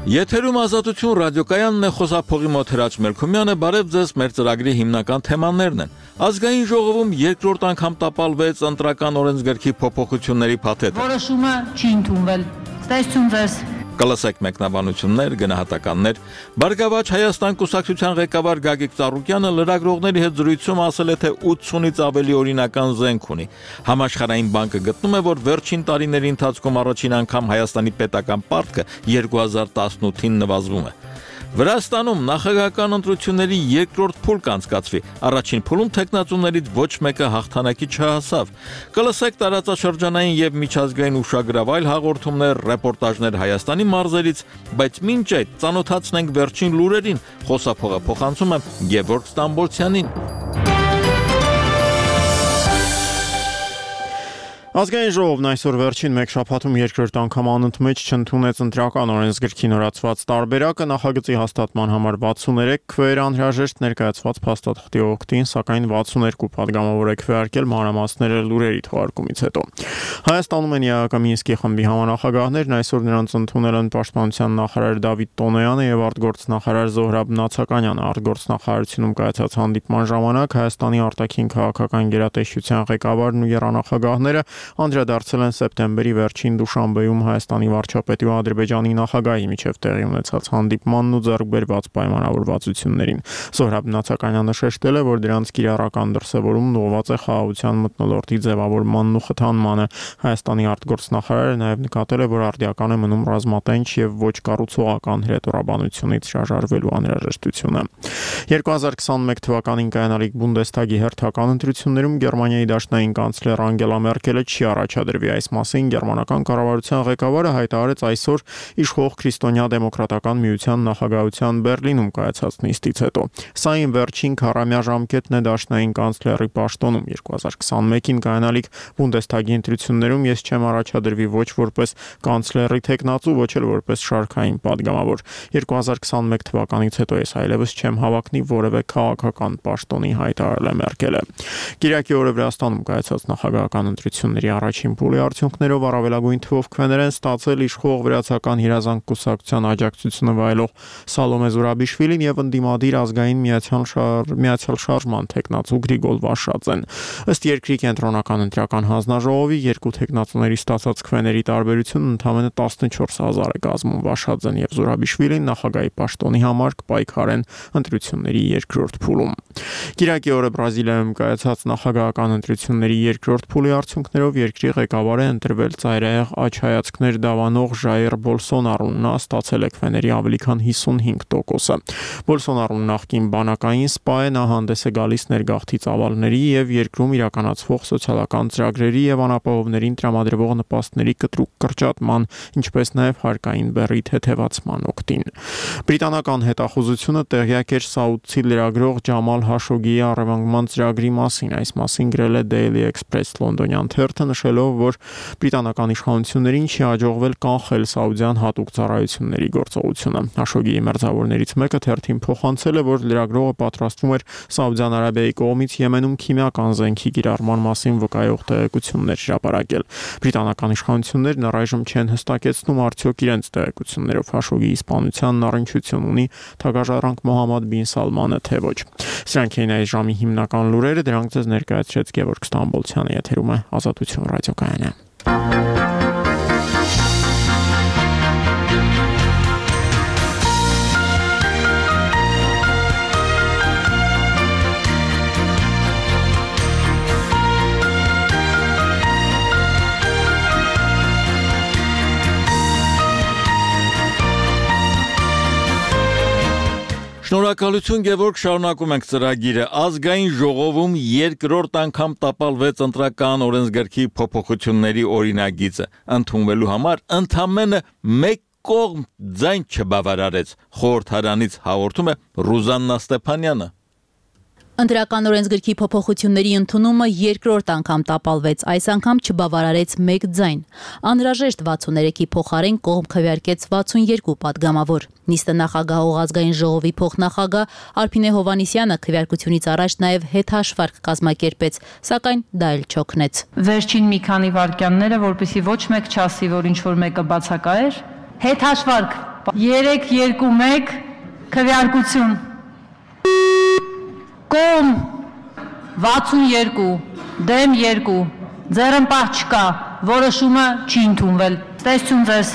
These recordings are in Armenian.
Եթերում ազատություն ռադիոկայանն է, խոսափողի մոտ Հրաչ Մելքումյանը, բարև ձեզ, մեր ծրագրի հիմնական թեմաներն են։ Ազգային ժողովում երկրորդ անգամ տապալվեց ընտրական օրենսգրքի փոփոխությունների փաթեթը։ Որոշումը չի ընդունվել։ Ստեսություն ձեզ։ Կլսեք մեկնաբանություններ, գնահատականներ։ Բարգավաճ Հայաստան կուսակցության ղեկավար Գագիկ Ծառուկյանը լրագրողների հետ զրույցում ասել է, թե 80-ից ավելի օրինական զենք ունի։ Համաշխարհային բանկը գտնում է, որ վերջին տարիների ընթացքում առաջին անգամ Հայաստանի պետական պարտքը 2018-ին նվազվում է։ Վրաստանում նախագահական ընտրությունների երկրորդ փուլ կանցկացվի։ Առաջին փուլում թեկնածուներից ոչ մեկը հաղթանակի չհասավ։ Կլսեք տարածաշրջանային եւ միջազգային ուշագրավ այլ հաղորդումներ, ռեպորտաժներ Հայաստանի մարզերից, բայց մինչ այդ ծանոթացնենք վերջին լուրերին։ Խոսափողը փոխանցում է Գևորգ Ստամբոլցյանին։ Ազգային ժողովն այսօր վերջին մեկ շաբաթում երկրորդ անգամ անընդմեջ չընդունեց ընտրական օրենսգրքի նորացված տարբերակը նախագծի հաստատման համար 63 քվեեր անհրաժեշտ ներկայացված փաստաթղթի օգտին, սակայն 62 падգամավոր է քվեարկել մանրամասները լուրերի թողարկումից հետո։ Հայաստանում են ԵԱԿ Մինսկի խմբի համանախագահներն, այսօր նրանց ընդունել են պաշտպանության նախարար Դավիթ Տոնոյանը եւ արտգործնախարար Զոհրաբ Նացականյանը։ Արտգործնախարարությունում կայացած հանդիպման ժամանակ Հայաստանի արտաքին քաղաքական գերատեսչության ղեկավարն ու եռանախագահները անդրադարձել են սեպտեմբերի վերջին Դուշանբեում Հայաստանի վարչապետի ու Ադրբեջանի նախագահի միջև տեղի ունեցած հանդիպմանն ու ձեռք բերված պայմանավորվածություններին։ Զոհրաբ Նացականյանը շեշտել է, որ դրանց կիրառական դրսևորումն ուղղված է խաղաղության մթնոլորտի ձևավորմանն ու խթանմանը։ Հայաստանի արտգործնախարարը նաև նկատել է, որ արդիական է մնում ռազմատենչ եւ ոչ կառուցողական հրետորաբանությունից շարժարվելու անհրաժեշտությունը։ 2021 թվականին կայանալիք Բունդեսթագի հերթական ընտրություններում Գերմանիայի դաշնային կանցլեր Անգելա Մերկելը չի առաջադրվի։ Այս մասին գերմանական կառավարության ղեկավարը հայտարարեց այսօր իշխող քրիստոնյա դեմոկրատական միության նախագահության Բերլինում կայացած նիստից հետո։ Սա այն վերջին քառամյա ժամկետն է դաշնային կանցլերի պաշտոնում։ 2021-ին կայանալիք Բունդեսթագի ընտրություններում ես չեմ առաջադրվի ոչ որպես կանցլերի թեկնածու, ոչ էլ որպես շարքային падգամավոր։ 2021 թվականից հետո ես այլևս չեմ հավակնի որևէ քաղաքական պաշտոնի, հայտարարել է Մերկելը։ Կիրակի օրը Վրաստանում կայացած նախագահական ընտրությունների առաջին փուլի արդյունքներով առավելագույն թվով քվեներ են ստացել իշխող վրացական հիրազանք կուսակցության աջակցությունը վայելող Սալոմե Զուրաբիշվիլին եւ ընդդիմադիր ազգային միացյալ շարժման թեկնածու Գրիգոր Վաշաձեն։ Ըստ երկրի կենտրոնական ընտրական հանձնաժողովի երկու թեկնածուների ստացած քվեների տարբերությունն ընդամենը 14000 է կազմում։ Վաշաձեն եւ Զուրաբիշվիլին նախագահի պաշտոնի համար կպայքարեն ընտրությունների երկրորդ փուլում։ Կիրակի օրը Բրազիլիայում կայացած նախագահական ընտրությունների երկրորդ փուլի արդյունքներով երկրի ղեկավար է ընտրվել ծայրահեղ աչհայացքներ դավանող Ժայր Բոլսոնարուն։ Նա ստացել է քվեների ավելի քան 55%։ Բոլսոնարուն նախկին բանակային սպա է, նա հանդես է գալիս ներգաղթի ծավալների եւ երկրում իրականացվող սոցիալական ծրագրերի եւ անապահովներին տրամադրվող նպաստների կտրուկ կրճատման, ինչպես նաեւ հարկային բեռի թեթևացման օգտին։ Բրիտանական հետախուզությունը տեղյակ էր Սաուդցի լրագրող Ջամալ Հաշոգիի առևանգման ծրագրի մասին։ Այս մասին գրել է Daily Express լոնդոնյան թերթը, նշելով, որ բրիտանական իշխանություններին չի հաջողվել կանխել սաուդյան հատուկ ծառայությունների գործողությունը։ Հաշոգիի մերձավորներից մեկը թերթին փոխանցել է, որ լրագրողը պատրաստվում էր Սաուդյան Արաբիայի կողմից Եմենում քիմիական զենքի կիրառման մասին վկայող տեղեկություններ հրապարակել։ Բրիտանական իշխանություններն առայժմ չեն հստակեցնում արդյոք իրենց տեղեկություններով Հաշոգիի սպանությանն առնչություն ունի թագաժառանգ Մոհամմադ բին Սալմանը, թե ոչ։ Սրանք էին այս ժամի հիմնական լուրերը, դրանք ձեզ ներկայացրեց Գևորգ Ստամբոլցյանը, եթերում է Ազատություն ռադիոկայանը։ Շնորհակալություն Գևորգ, շարունակում ենք ծրագիրը։ Ազգային ժողովում երկրորդ անգամ տապալվեց ընտրական օրենսգրքի փոփոխությունների օրինագիծը։ Ընդունվելու համար ընդամենը մեկ կողմ ձայն չբավարարեց։ Խորհրդարանից հաղորդում է Ռուզաննա Ստեփանյանը։ Ընտրական օրենսգրքի փոփոխությունների ընդունումը երկրորդ անգամ տապալվեց, այս անգամ չբավարարեց մեկ ձայն։ Անհրաժեշտ 63-ի փոխարեն կողմ քվեարկեց 62 падգամավոր։ Նիստը նախագահող ազգային ժողովի փոխնախագահ Արփինե Հովանիսյանը քվեարկությունից առաջ նաև հետհաշվարկ կազմակերպեց, սակայն դա էլ չօգնեց։ Վերջին մի քանի վայրկյանները, որպեսզի ոչ մեկ չասի, որ ինչ որ մեկը բացակա էր, հետհաշվարկ 3-2-1 քվեարկություն։ Կողմ 62, դեմ 2, ձեռնպահ չկա, որոշումը չի ընդունվել։ Ստեսություն ձեզ։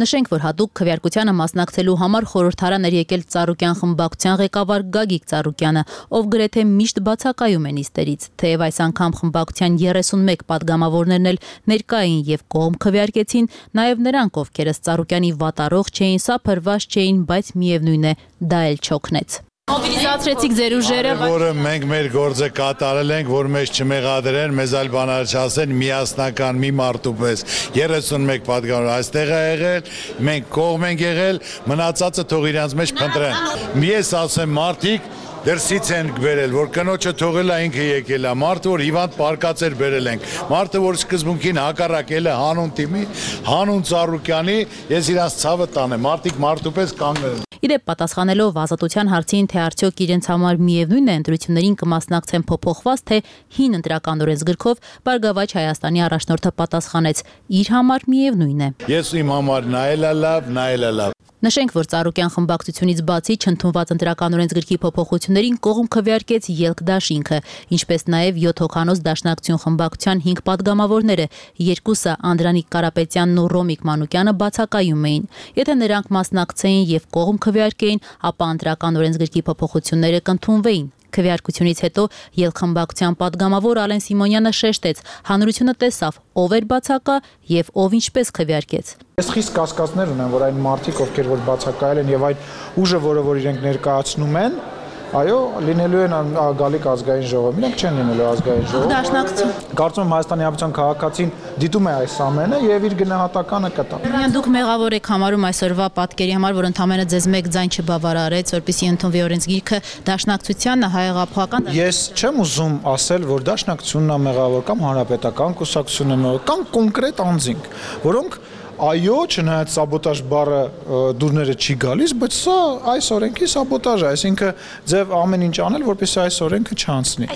Նշենք, որ հատուկ քվեարկությանը մասնակցելու համար խորհրդարան էր եկել Ծառուկյան խմբակցության ղեկավար Գագիկ Ծառուկյանը, ով գրեթե միշտ բացակայում է նիստերից, թեև այս անգամ խմբակցության 31 падգամավորներն էլ ներկա էին եւ կողմ քվեարկեցին, նաեւ նրանք, ովքեր Ծառուկյանի վատառող չէին, սափրված չէին, բայց միևնույն է, դա էլ չօգնեց։ Մոբիլիզացրեցիք ձեր ուժերը, որը մենք մեր գործը կատարել ենք, որ մեզ չմեղադրեն, մեզ այլ բաներ չասեն, միասնական մի մարդու պես 31 падգամավոր այստեղ է եղել, մենք կողմ ենք եղել, մնացածը թող իրանց մեջ փնտրեն։ Ես ասեմ մարդիկ դրսից են բերել, որ կնոջը թողել է ինքը եկել է, մարդը որ հիվանդ պարկած էր բերել ենք, մարդը որ սկզբունքին հակառակել է հանուն թիմի, հանուն Ծառուկյանի, ես իրանց ցավը տանեմ, մարդիկ մարդու պես կանգնել են։ Իդեպ պատասխանելով Ազատության հարցին, թե արդյոք իրենց համար միևնույն է ընտրություններին կմասնակցեն փոփոխված, թե հին ընտրական օրենսգրքով, Բարգավաճ Հայաստանի առաջնորդը պատասխանեց. իր համար միևնույն է։ Ես իմ համար նայել է լավ։ Նշենք, որ Ծառուկյան խմբակցությունից բացի չընդունված ընտրական օրենսգրքի փոփոխություններին կողմ քվեարկեց Ելք դաշինքը, ինչպես նաև 7 հոգանոց Դաշնակցություն խմբակցության 5 падգամավորները, երկուսը Անդրանիկ Կարապետյանն ու Ռոմիկ Մանուկյանը բացակայում էին։ Եթե նրանք մասնակցեին եւ կողմ քվեարկեին, ապա ընտրական օրենսգրքի փոփոխությունները կընդունվեին։ Քվեարկությունից հետո Ելք խմբակցության падգամավոր Ալեն Սիմոնյանը շեշտեց. հանրությունը տեսավ ով էր բացակա եւ ով ինչպես քվեարկեց։ Ես խիստ կասկածներ ունեմ, որ այն մարդիկ, ովքեր որ բացակայել են եւ այն ուժը, որ իրենք ներկայացնում են, այո, լինելու են գալիք ազգային ժողով։ Իրենք չեն լինելու ազգային ժողով։ Դաշնակցություն։ Կարծում եմ Հայաստանի Հանրապետության քաղաքացին դիտում է այս ամենը եւ իր գնահատականը կտա։ Դուք մեղավոր եք համարում այսօրվա պատկերի համար, որ ընդամենը ձեզ մեկ ձայն չբավարարեց, որպեսզի ընդունվի օրենսգիրքը Դաշնակցությանն հայեղափոխական։ Ես չեմ ուզում ասել, որ Դաշնակցությունն է մեղավոր կամ Հանրապետական կուսակցությունն է մեղավոր կամ կոնկրետ անձինք, որոնք այո, չնայած սաբոտաժ բառը դուրները չի գալիս, բայց սա այս օրենքի սաբոտաժ է, այսինքն ձև ամեն ինչ անել, որպեսզի այս օրենքը չանցնի։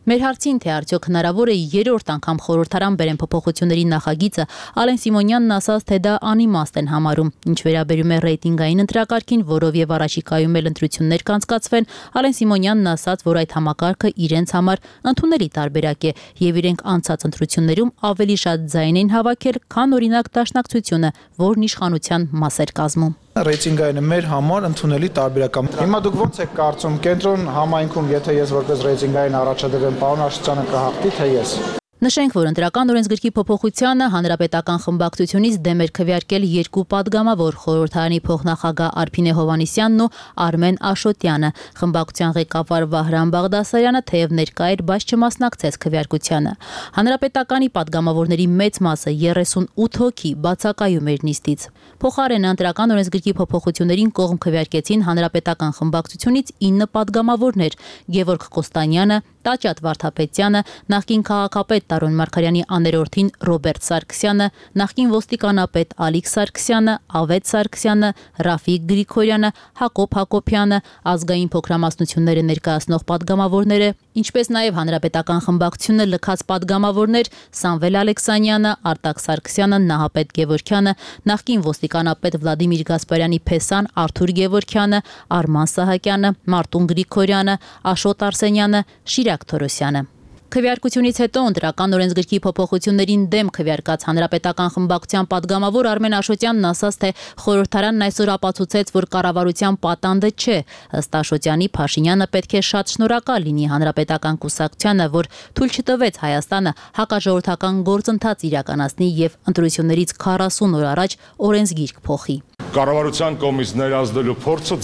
Մեր հարցին, թե արդյոք հնարավոր է երրորդ անգամ խորհրդարան բերեն փոփոխությունների նախագիծը, Ալեն Սիմոնյանն ասաց, թե դա անիմաստ են համարում։ Ինչ վերաբերում է ռեյտինգային ընտրակարգին, որով եւ առաջիկայում էլ ընտրություններ կանցկացվեն, Ալեն Սիմոնյանն ասաց, որ այդ համակարգը իրենց համար ընդունելի տարբերակ է եւ իրենք անցած ընտրություններում ավելի շատ ձայն են հավաքել, քան օրինակ Դաշնակցությունը, որն իշխանության մաս էր կազմում։ Ռեյտինգայինը մեր համար ընդունելի տարբերակ է։ Հիմա դուք ո՞նց եք կարծում, կենտրոն համայնքում, եթե ես որպես ռեյտինգային առաջադրվեմ, պարոն Աշոտյանը կհաղթի, թե ես։ Նշենք, որ ընտրական օրենսգրքի փոփոխությանը Հանրապետական խմբակցությունից դեմ էր քվեարկել երկու падգամավոր խորհրդարանի փոխնախագահ Արփինե Հովհաննիսյանն ու Արմեն Աշոտյանը։ Խմբակցության ղեկավար Վահրամ Բաղդասարյանը թեև ներկա էր, բայց չմասնակցեց քվեարկությանը։ Հանրապետականի падգամավորների մեծ մասը 38 հոգի բացակայում էր նիստից։ Փոխարենը ընտրական օրենսգրքի փոփոխություններին կողմ քվեարկեցին Հանրապետական խմբակցությունից 9 падգամավորներ՝ Գևորգ Կոստանյանը, Տաճատ Վարդապետյանը, նախկին քաղաքապետ Տարոն Մարգարյանի աներորդին Ռոբերտ Սարգսյանը, նախկին ոստիկանապետ Ալիկ Սարգսյանը, Ավետ Սարգսյանը, Ռաֆիկ Գրիգորյանը, Հակոբ Հակոբյանը, ազգային փոքրամասնությունները ներկայացնող падգամավորները, ինչպես նաև Հանրապետական խմբակցությունը լքած падգամավորներ Սամվել Ալեքսանյանը, Արտակ Սարգսյանը, Նահապետ Գևորգյանը, նախկին ոստիկանապետ Վլադիմիր Գասպարյանի փեսան Արթուր Գևորգյանը, Արման Սահակյանը, Մարտուն Գրիգորյանը, Աշոտ Արսենյանը, Շիրակ Թորոսյանը։ Քվեարկությունից հետո ընտրական օրենսգրքի փոփոխություններին դեմ քվեարկած Հանրապետական խմբակցության падգամավոր Արմեն Աշոտյանն ասաց, թե խորհրդարանն այսօր ապացուցեց, որ կառավարության պատանդը չէ։ Ըստ Աշոտյանի, Փաշինյանը պետք է շատ շնորհակալ լինի Հանրապետական կուսակցությանը, որ թույլ չտվեց Հայաստանը հակաժողովրդական գործընթաց իրականացնի եւ ընտրություններից 40 օր առաջ օրենսգիրք փոխի։ Կառավարության կողմից ներազդելու փորձը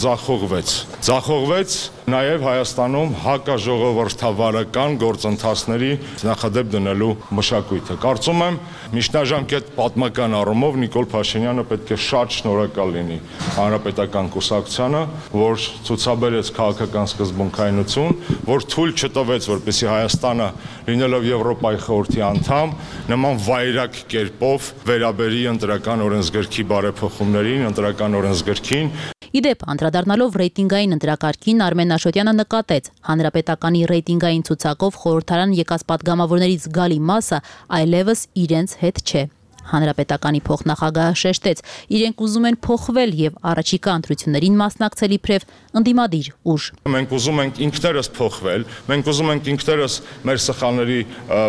ձախողվեց նաև Հայաստանում հակաժողովրդավարական գործընթացների նախադեպ դնելու մշակույթը։ Կարծում եմ, միջնաժամկետ պատմական առումով Նիկոլ Փաշինյանը պետք է շատ շնորհակալ լինի Հանրապետական կուսակցությանը, որ ցուցաբերեց քաղաքական սկզբունքայնություն, որ թույլ չտվեց, որպեսզի Հայաստանը, լինելով Եվրոպայի խորհրդի անդամ, նման վայրագ կերպով վերաբերի ընտրական օրենսգրքի բարեփոխումներին, ընտրական օրենսգրքին։ Իդեպ, անդրադառնալով ռեյտինգային ընտրակարգին, Արմեն Աշոտյանը նկատեց, Հանրապետականի ռեյտինգային ցուցակով խորհրդարան եկած падգամավորներից զգալի մասը այլևս իրենց հետ չէ։ Հանրապետականի փոխնախագահը շեշտեց, իրենք ուզում են փոխվել եւ առաջիկա ընտրություններին մասնակցել իբրև ընդդիմադիր ուժ։ Մենք ուզում ենք ինքներս փոխվել, մենք ուզում ենք ինքներս մեր սխալների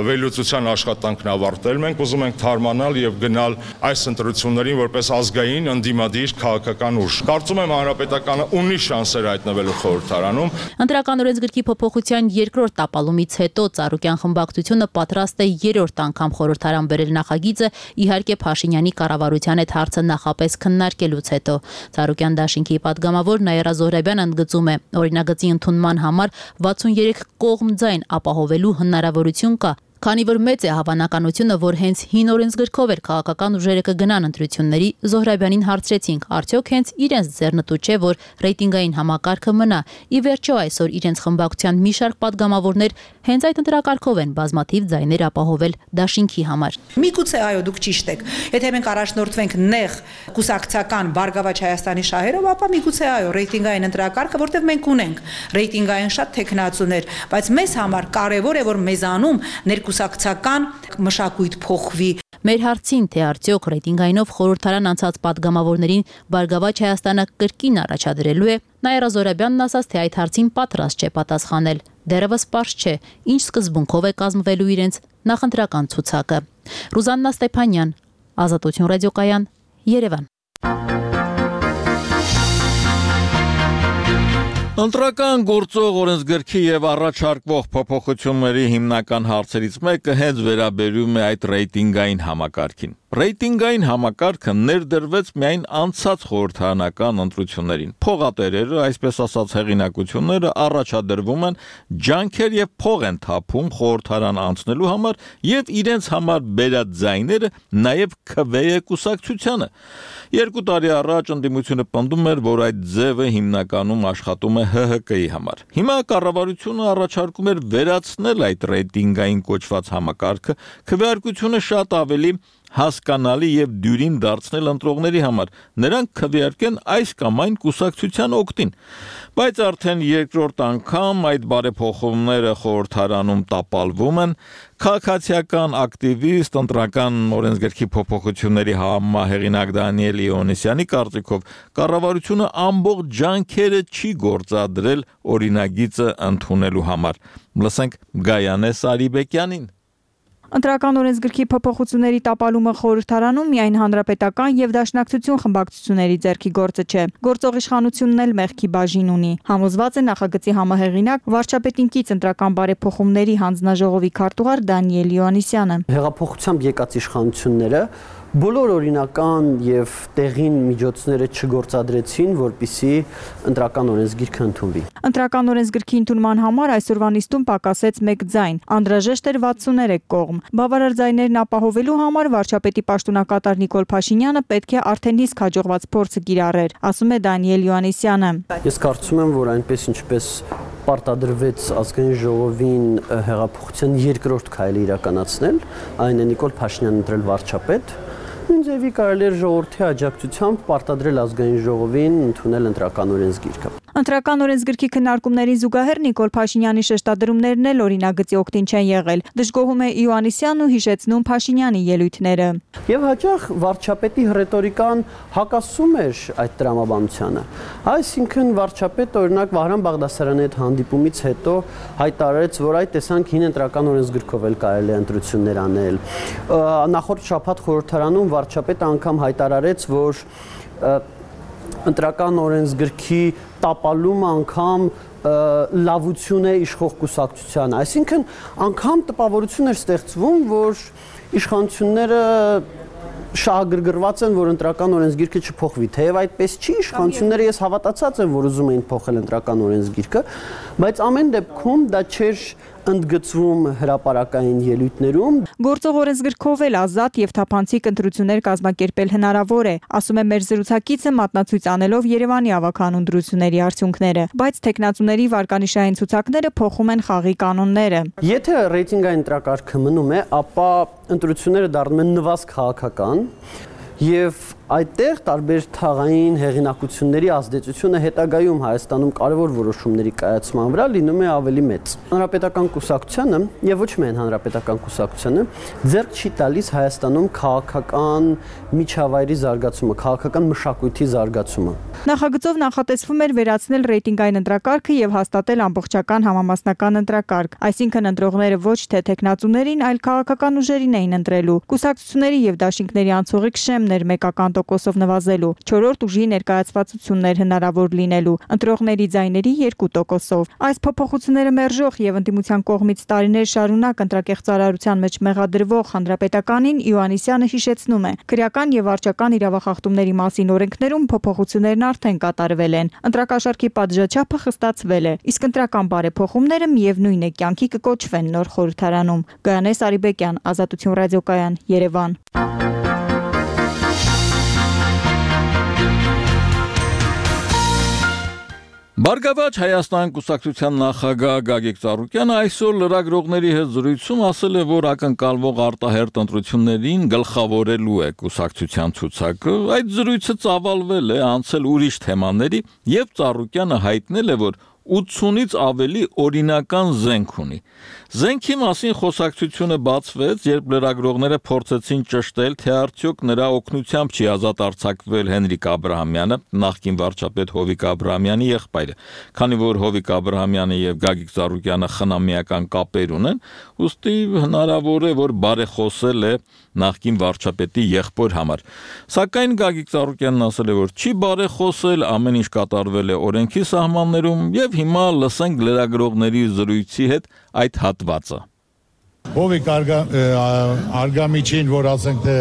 վերլուծության աշխատանքն ավարտել, մենք ուզում ենք թարմանալ եւ գնալ այս ընտրություններին որպես ազգային ընդդիմադիր քաղաքական ուժ։ Կարծում եմ Հանրապետականը ունի շանսեր հայտնվելու խորհրդարանում։ Ընտրական օրենսգրքի փոփոխության երկրորդ տապալումից հետո Ծառուկյան խմբակցությունը պատրաստ է երրորդ անգամ խորհրդարան բերել նախագիծը, իհարկե Փաշինյանի կառավարության հետ հարցը նախապես քննարկելուց հետո։ Ծառուկյան դաշինքի պատգամավոր Նաիրա Զոհրաբյանը ընդգծում է, օրինագծի ընդունման համար 63 կողմ ձայն ապահովելու հնարավորություն կա, քանի որ մեծ է հավանականությունը, որ հենց հին օրենսգրքով էր քաղաքական ուժերը կգնան ընտրությունների, Զոհրաբյանին հարցրեցինք, արդյոք հենց իրենց ձեռնտու չէ, որ ռեյտինգային համակարգը մնա։ Ի վերջո այսօր իրենց խմբակցության մի շարք պատգամավորներ հենց այդ ընտրակարգով են բազմաթիվ ձայներ ապահովել դաշինքի համար։ Միգուցե այո, դուք ճիշտ եք։ Եթե մենք առաջնորդվենք նեղ կուսակցական Բարգավաճ Հայաստանի շահերով, ապա միգուցե այո, ռեյտինգային ընտրակարգը, որտեղ մենք ունենք ռեյտինգային շատ թեկնածուներ, բայց մեզ համար կարևոր է, որ մեզանում կուսակցական մշակույթ փոխվի։ Մեր հարցին, թե արդյոք ռեյտինգայինով խորհրդարան անցած պատգամավորներին Բարգավաճ Հայաստանը կրկին առաջադրելու է, Նաիրա Զոհրաբյանն ասաց, թե այդ հարցին պատրաստ չէ պատասխանել։ Դեռևս պարզ չէ, ինչ սկզբունքով է կազմվելու իրենց նախընտրական ցուցակը։ Ռուզաննա Ստեփանյան, Ազատություն ռադիոկայան, Երևան։ Ընտրական գործող օրենսգրքի եւ առաջարկվող փոփոխությունների հիմնական հարցերից մեկը հենց վերաբերում է այդ ռեյտինգային համակարգին։ Ռեյտինգային համակարգը ներդրվեց միայն անցած խորհրդարանական ընտրություններին։ Փողատերերը, այսպես ասած հեղինակությունները առաջադրվում են ջանքեր եւ փող են թափում խորհրդարան անցնելու համար եւ իրենց համար բերած ձայները նաեւ քվե կուսակցությանը։ 2 տարի առաջ ընդդիմությունը պնդում էր, որ այդ ձևը հիմնականում աշխատում է ՀՀԿ-ի համար։ Հիմա կառավարությունը առաջարկում էր վերացնել այդ ռեյտինգային կոչված համակարգը, քվեարկությունը շատ ավելի հասկանալի եւ դյուրին դարձնել ընտրողների համար։ Նրանք քվեարկեն այս կամ այն կուսակցության օգտին։ Բայց արդեն երկրորդ անգամ այդ բարեփոխումները խորհրդարանում տապալվում են։ Քաղաքացիական ակտիվիստ, ընտրական օրենսգրքի փոփոխությունների համահեղինակ Դանիել Իոնիսյանի կարծիքով կառավարությունը ամբողջ ջանքերը չի գործադրել օրինագիծը ընդունելու համար։ Լսենք Գայանե Սարիբեկյանին։ Ընտրական օրենսգրքի փոփոխությունների տապալումը խորհրդարանում միայն հանրապետական եւ դաշնակցություն խմբակցությունների ձեռքի գործը չէ։ Գործող իշխանությունն էլ մեղքի բաժին ունի։ Համոզված է նախագծի համահեղինակ վարչապետինքից ընտրական բարեփոխումների հանձնաժողովի քարտուղար Դանիել Իոնիսյանը։ Հեղափոխությամբ եկած իշխանությունները բոլոր օրինական եւ տեղին միջոցները չգործադրեցին, որպիսի ընտրական օրենսգիրքը ընդունվի։ Ընտրական օրենսգրքի ընդունման համար այսօրվա նիստում պակասեց 1 ձայն, անհրաժեշտ էր 63 կողմ։ Բավարար ձայներն ապահովելու համար վարչապետի պաշտոնակատար Նիկոլ Փաշինյանը պետք է արդեն իսկ հաջողված փորձը կիրառեր, ասում է Դանիել Իոնիսյանը։ Ես կարծում եմ, որ այնպես ինչպես պարտադրվեց ազգային ժողովին հեղափոխության երկրորդ քայլը իրականացնել, այն է Նիկոլ Փաշինյանն ընտրել վարչապետ, նույնձևի կարելի էր ժողովրդի աջակցությամբ պարտադրել ազգային ժողովին ընդունել ընտրական օրենսգիրքը։ Ընտրական օրենսգրքի քննարկումներին զուգահեռ Նիկոլ Փաշինյանի շեշտադրումներն էլ օրինագծի օգտին չեն եղել։ Դժգոհում է Իոաննիսյանն ու հիշեցնում Փաշինյանի ելույթները։ Եվ հաճախ վարչապետի ռետորիկան հակասում էր այդ տրամաբանությանը։ Այսինքն վարչապետը օրինակ Վահրամ Բաղդասարյանի հետ հանդիպումից հետո հայտարարեց, որ այդ տեսանք հին ընտրական օրենսգրքով էլ կարելի է ընտրություններ անել։ Նախորդ շաբաթ խորհրդարանում վարչապետը անգամ հայտարարեց, որ ընտրական օրենսգրքի տապալումը անգամ լավություն է իշխող կուսակցությանը։ Այսինքն անգամ տպավորություն էր ստեղծվում, որ իշխանությունները շահագրգռված են, որ ընտրական օրենսգիրքը չփոխվի։ Թեև այդպես չի, իշխանությունները ես հավատացած եմ, որ ուզում էին փոխել ընտրական օրենսգիրքը, բայց ամեն դեպքում դա չէր ընդգծվում հրապարակային ելույթներում։ Գործող օրենսգրքով էլ ազատ եւ թափանցիկ ընտրություններ կազմակերպել հնարավոր է, ասում է մեր զրուցակիցը մատնացույց անելով Երևանի ավագանուն ընտրությունների արդյունքները, բայց տեխնացուների վարկանիշային ցուցակները փոխում են խաղի կանոնները։ Եթե ռեյտինգային ընտրակարգը մնում է, ապա ընտրությունները դառնում են նվազ քաղաքական Եվ այդտեղ տարբեր թաղային հեղինակությունների ազդեցությունը հետագայում Հայաստանում կարևոր որոշումների կայացման վրա լինում է ավելի մեծ։ Հանրապետական կուսակցությանը եւ ոչ միայն հանրապետական կուսակցությանը ձեռք չի տալիս Հայաստանում քաղաքական միջավայրի զարգացումը, քաղաքական մշակույթի զարգացումը։ Նախագծով նախատեսվում էր վերացնել ռեյտինգային ընտրակարգը եւ հաստատել ամբողջական համամասնական ընտրակարգ, այսինքն ընտրողները ոչ թե տեխնացուներին, այլ քաղաքական ուժերին էին ընտրելու։ Կուսակցությունների եւ դաշինքների անցողիկ շեմն էր մեկական տոկոսով նվազելու, 4-րդ ուժի ներկայացվածություններ հնարավոր լինելու, ընտրողների ձայների 2%-ով։ Այս փոփոխությունները մերժող եւ ընդդիմության կողմից տարիներ շարունակ ընտրակեղծարարության մեջ մեղադրվող Հանրապետականին Իոաննիսյանը հիշեցնում է. քրեական եւ վարչական իրավախախտումների մասին օրենքներում փոփոխություններն արդեն կատարվել են։ Ընտրակաշառքի պատժաչափը խստացվել է, իսկ ընտրական բարեփոխումները միևնույն է կյանքի կկոչվեն նոր խորհրդարանում։ Գայանե Սարիբեկյան, Ազատություն ռադիոկայան, Երևան։ Բարգավաճ Հայաստան կուսակցության նախագահ Գագիկ Ծառուկյանը այսօր լրագրողների հետ զրույցում ասել է, որ ակնկալվող արտահերթ ընտրություններին գլխավորելու է կուսակցության ցուցակը։ Այդ զրույցը ծավալվել է, անցել ուրիշ թեմաների, եւ Ծառուկյանը հայտնել է, որ 80-ից ավելի օրինական զենք ունի։ Զենքի մասին խոսակցությունը բացվեց, երբ լրագրողները փորձեցին ճշտել, թե արդյոք նրա օգնությամբ չի ազատ արձակվել Հենրիկ Աբրահամյանը, նախկին վարչապետ Հովիկ Աբրահամյանի եղբայրը, քանի որ Հովիկ Աբրահամյանը եւ Գագիկ Ծառուկյանը խնամիական կապեր ունեն, ուստի հնարավոր է, որ բարեխոսել է նախկին վարչապետի եղբոր համար։ Սակայն Գագիկ Ծառուկյանն ասել է, որ չի բարեխոսել, ամեն ինչ կատարվել է օրենքի սահմաններում եւ հիմա լսենք լրագրողների զրույցի հետ այդ հատվածը։ Հովիկ Արգամիջին, որ ասենք թե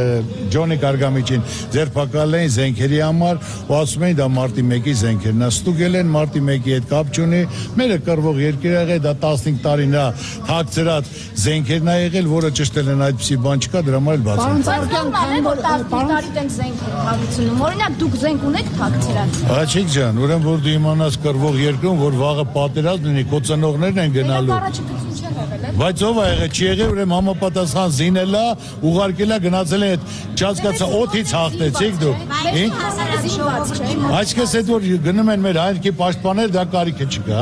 Ջոնիկ Արգամիջին ձերբակալել էին զենքերի համար, ու ասում էին դա մարտի 1-ի զենքերն է, ստուգել են մարտի 1-ի հետ կապ չունի, մերը կռվող երկիր եղել, դա 15 տարի նա թաքցրած զենքերն է եղել, որը ճշտել են այդպիսի բան չկա, դրա համար էլ բացում։ Օրինակ դուք զենք ունեք թաքցրած։ Աղջիկ ջան, ուրեմն որ դու իմանաս կռվող երկրում, որ վաղը պատերազմ լինի, կոծանողներն են գնալու։ Բայց ով է եղել, չի եղել, ուրեմն համապատասխան զինել է, ուղարկել է, գնացել է այդ չհասկացա օդից հաղթեցիք դուք։ Այսպես այդ որ գնում են մեր հայրենիքի պաշտպաններ, դա կարիքը չկա։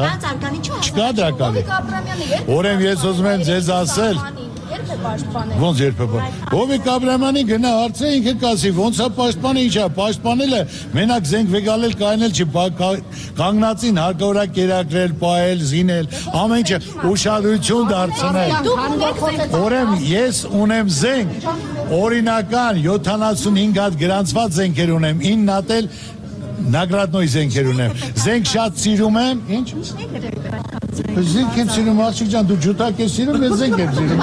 Չկա դրա կարիք։ Ուրեմն ես ուզում եմ ձեզ ասել, ոնց երբեք։ Հովիկ Աբրահամյանի գնա հարցը ինքը կասի, ոնց է պաշտպանը, ինչ է, պաշտպանել է, մենակ զենք վեգալել կայնել չի, կանգնածին հարկավոր է կերակրել, պահել, զինել, ամեն ինչը ուշադրություն դարձնել։ Ուրեմն ես ունեմ զենք, օրինական 75 հատ գրանցված զենքեր ունեմ, 9 հատ էլ նագրատնոյ զենքեր ունեմ։ Զենք շատ սիրում եմ, ինչ։ Զենք եմ սիրում, աղջիկ ջան, դու ջութակ ես սիրում, ես զենք եմ սիրում։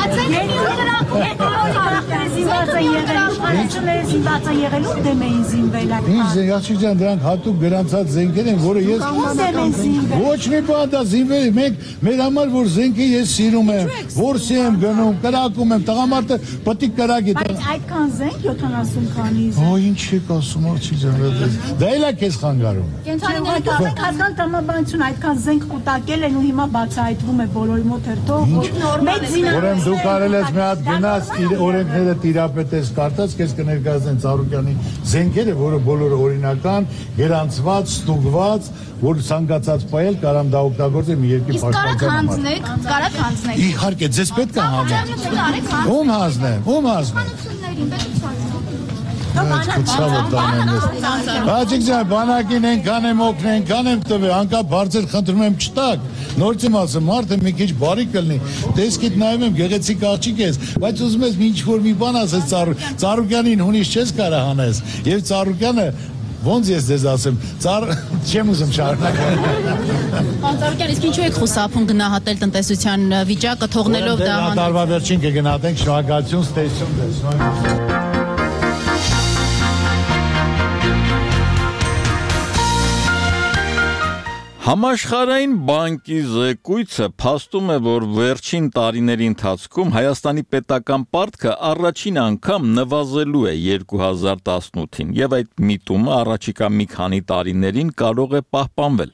Ինչ զենք, աղջիկ ջան, դրանք հատուկ գրանցած զենքեր են, որը ես ոչ մի բան դա զինվել, մեր համար որ զենքը ես սիրում եմ, որսի եմ գնում, կրակում եմ, տղամարդը պտիկ կրակի։ Բայց այդքան զենք 70 քանի զենք։ Օ, ինչ եք ասում, աղջիկ ջան, դա էլ է քեզ խանգարում։ Կենթանիները կազգան տրամաբանություն այդքան զենք կուտակել են ու հիմա բացահայտվում է բոլորի մոտ հերթով։ Ուրեմն դու կարել ես մի հատ գնաս օրենքները տիրապետես կարտած, քեզ կներկայացնեն Ծառուկյանի զենքերը, որը բոլորը օրինական, գրանցված, ստուգված, որ ցանկացած պայել կարամ դա օգտագործել մի երկի պաշտպանության համար։ Կարակ հանձնեք։ Իհարկե, ձեզ պետք է հանձնեմ։ Ում հանձնեմ։ Ցավը տանեմ ես։ Աղջիկ ջան, բանակին ենքան եմ օգնել, ենքան եմ տվել, անկապ հարցեր խնդրում եմ չտակ։ Նորից եմ ասում, մարդը մի քիչ բարի կլինի։ Տեսքիդ նայում եմ, գեղեցիկ աղջիկ ես, բայց ուզում ես ինչ որ մի բան ասես Ծառուկյանին հունից չես կարա հանես։ Եվ Ծառուկյանը ոնց ես ձեզ ասեմ, չեմ ուզում շարունակել։ Ծառուկյան, իսկ ինչու եք խուսափում գնահատել տնտեսության վիճակը, թողնելով դա։ Տարվա վերջին կգնահատենք, շնորհակալություն, ստեսություն դες։ Համաշխարհային բանկի զեկույցը փաստում է, որ վերջին տարիների ընթացքում Հայաստանի պետական պարտքը առաջին անգամ նվազելու է 2018-ին, եւ այդ միտումը առաջիկա մի քանի տարիներին կարող է պահպանվել։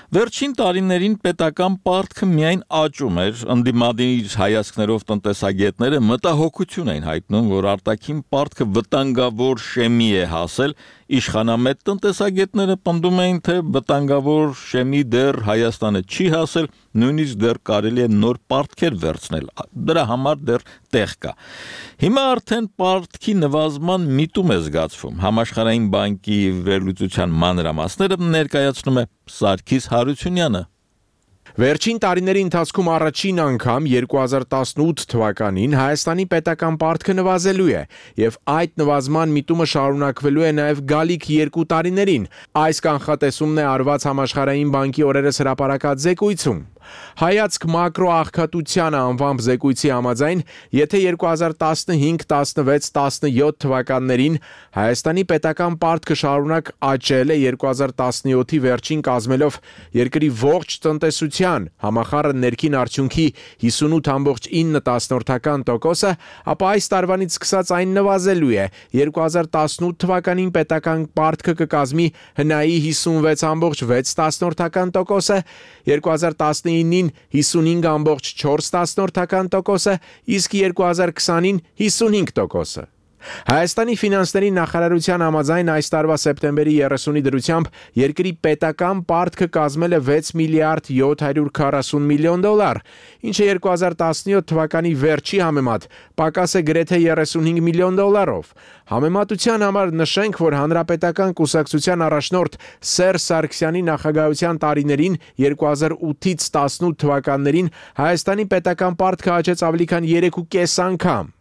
Վերջին տարիներին պետական պարտքը միայն աճում էր, ընդդիմադիր հայացքներով տնտեսագետները մտահոգություն էին հայտնում, որ արտաքին պարտքը վտանգավոր շեմի է հասել, իշխանամետ տնտեսագետները պնդում էին, թե վտանգավոր շեմի դեռ Հայաստանը չի հասել, նույնիսկ դեռ կարելի է նոր պարտքեր վերցնել, դրա համար դեռ տեղ կա։ Հիմա արդեն պարտքի նվազման միտում է զգացվում, Համաշխարհային բանկի վերլուծության մանրամասները ներկայացնում է Սարգիս Հարությունյանը։ Վերջին տարիների ընթացքում առաջին անգամ 2018 թվականին Հայաստանի պետական պարտքը նվազելու է եւ այդ նվազման միտումը շարունակվելու է նաեւ գալիք 2 տարիներին։ Այս կանխատեսումն է արված Համաշխարհային բանկի օրերս հրապարակած զեկույցում։ Հայացք մակրո աղքատությանը անվամբ զեկույցի համաձայն, եթե 2015, 16, 17 թվականներին Հայաստանի պետական պարտքը շարունակ աճել է 2017-ի վերջին կազմելով երկրի ողջ տնտեսության համախառն ներքին արդյունքի 58.9%, ապա այս տարվանից սկսած այն նվազելու է։ 2018 թվականին պետական պարտքը կկազմի հնայի 56.6%, 2019-ին 55.4%, իսկ 2020-ին 55%։ Հայաստանի ֆինանսների նախարարության համաձայն այս տարվա սեպտեմբերի 30-ի դրությամբ երկրի պետական պարտքը կազմել է 6 միլիարդ 740 միլիոն դոլար, ինչը 2017 թվականի վերջի համեմատ պակաս է գրեթե 35 միլիոն դոլարով։ Համեմատության համար նշենք, որ Հանրապետական կուսակցության առաջնորդ Սերժ Սարգսյանի նախագահության տարիներին 2008-ից 18 թվականներին Հայաստանի պետական պարտքը աճեց ավելի քան 3.5 անգամ։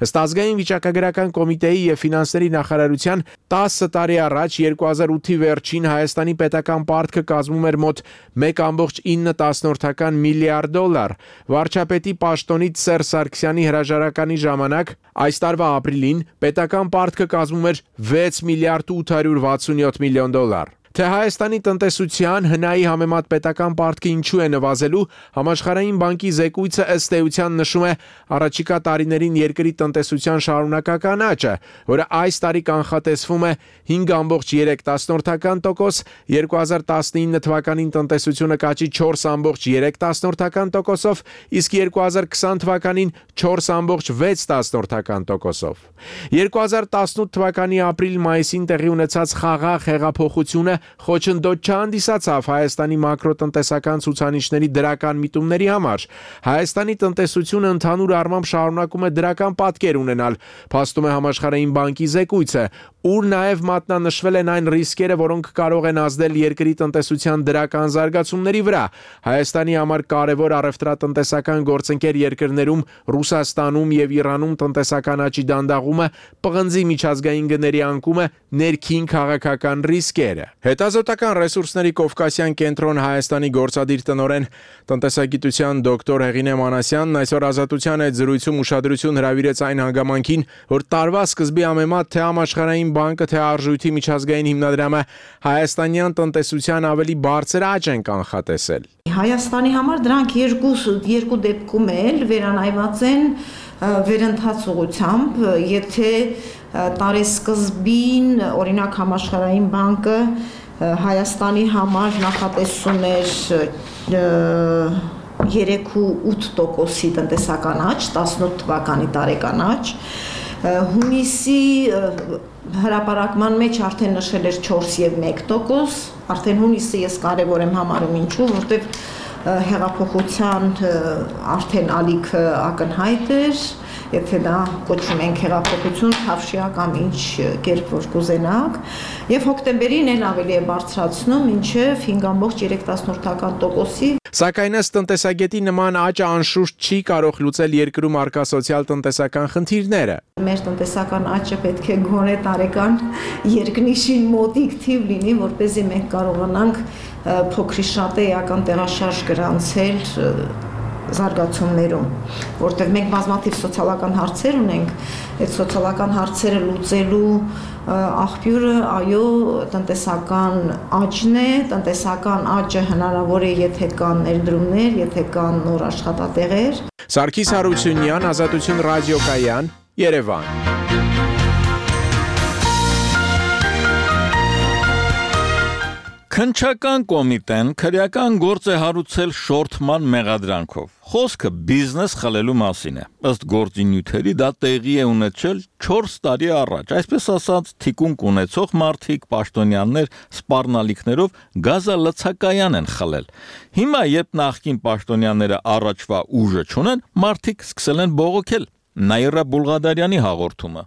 Ըստ ազգային վիճակագրական կոմիտեի եւ ֆինանսների նախարարության 10 տարի առաջ 2008-ի վերջին Հայաստանի պետական պարտքը կազմում էր մոտ 1.9 միլիարդ դոլար։ Վարչապետի պաշտոնից Սերժ Սարգսյանի հրաժարականի ժամանակ այս տարվա ապրիլին պետական պարտքը կազմում էր 6 միլիարդ 867 միլիոն դոլար։ Թե Հայաստանի տնտեսության հնայի համեմատ պետական պարտքը ինչու է նվազելու, Համաշխարհային բանկի զեկույցը ըստ էության նշում է առաջիկա տարիներին երկրի տնտեսության շարունակական աճը, որը այս տարի կանխատեսվում է 5.3%, 2019 թվականին տնտեսությունը կաճի 4.3%-ով, իսկ 2020 թվականին 4.6%-ով։ 2018 թվականի ապրիլ-մայիսին տեղի ունեցած խաղաղ հեղափոխությունը խոչընդոտ չհանդիսացավ Հայաստանի մակրոտնտեսական ցուցանիշների դրական միտումների համար։ Հայաստանի տնտեսությունը ընդհանուր առմամբ շարունակում է դրական պատկեր ունենալ, փաստում է Համաշխարհային բանկի զեկույցը, ուր նաև մատնանշվել են այն ռիսկերը, որոնք կարող են ազդել երկրի տնտեսության դրական զարգացումների վրա։ Հայաստանի համար կարևոր առևտրատնտեսական գործընկեր երկրներում Ռուսաստանում եւ Իրանում տնտեսական աճի դանդաղումը, պղնձի միջազգային գների անկումը, ներքին քաղաքական ռիսկերը։ Հետազոտական ռեսուրսների Կովկասյան կենտրոն Հայաստանի գործադիր տնօրեն տնտեսագիտության դոկտոր Հեղինե Մանասյանն այսօր Ազատության այդ զրույցում ուշադրություն հրավիրեց այն հանգամանքին, որ տարվա սկզբի համեմատ թե Համաշխարհային բանկը, թե Արժույթի միջազգային հիմնադրամը հայաստանյան տնտեսության ավելի բարձր աճ են կանխատեսել։ Հայաստանի համար դրանք երկու դեպքում էլ վերանայված են վերընթաց ուղղությամբ, եթե տարեսկզբին օրինակ Համաշխարհային բանկը Հայաստանի համար նախատեսում էր 3.8%-ի տնտեսական աճ, 18 թվականի տարեկան աճ, հունիսի հրապարակման մեջ արդեն նշել էր 4.1%, արդեն հունիսը ես կարևոր եմ համարում ինչու, որտեղ հեղափոխության արդեն ալիքը ակնհայտ էր, եթե դա կոչում ենք հեղափոխություն, թավշյա կամ ինչ կերպ որ կուզենաք, եւ հոկտեմբերին էլ ավելի է բարձրացնում, մինչեւ 5.3%-ի։ Սակայն ըստ տնտեսագետի նման աճը անշուշտ չի կարող լուծել երկրում առկա սոցիալ-տնտեսական խնդիրները։ Մեր տնտեսական աճը պետք է գոնե տարեկան երկնիշին մոտիկ թիվ լինի, որպեսզի մենք կարողանանք փոքրի շատ էական տեղաշարժ գրանցել զարգացումներում, որտեղ մենք բազմաթիվ սոցիալական հարցեր ունենք, այդ սոցիալական հարցերը լուծելու աղբյուրը այո տնտեսական աճն է, տնտեսական աճը հնարավոր է, եթե կան ներդրումներ, եթե կան նոր աշխատատեղեր։ Սարգիս Հարությունյան, Ազատություն ռադիոկայան, Երևան։ Քննչական կոմիտեն քրեական գործ է հարուցել շորթման մեղադրանքով։ Խոսքը բիզնես խլելու մասին է։ Ըստ գործի նյութերի դա տեղի է ունեցել 4 տարի առաջ, այսպես ասած, թիկունք ունեցող մարդիկ, պաշտոնյաներ սպառնալիքներով գազալցակայան են խլել։ Հիմա, երբ նախկին պաշտոնյաները առաջվա ուժը չունեն, մարդիկ սկսել են բողոքել։ Նաիրա Բուլղադարյանի հաղորդումը։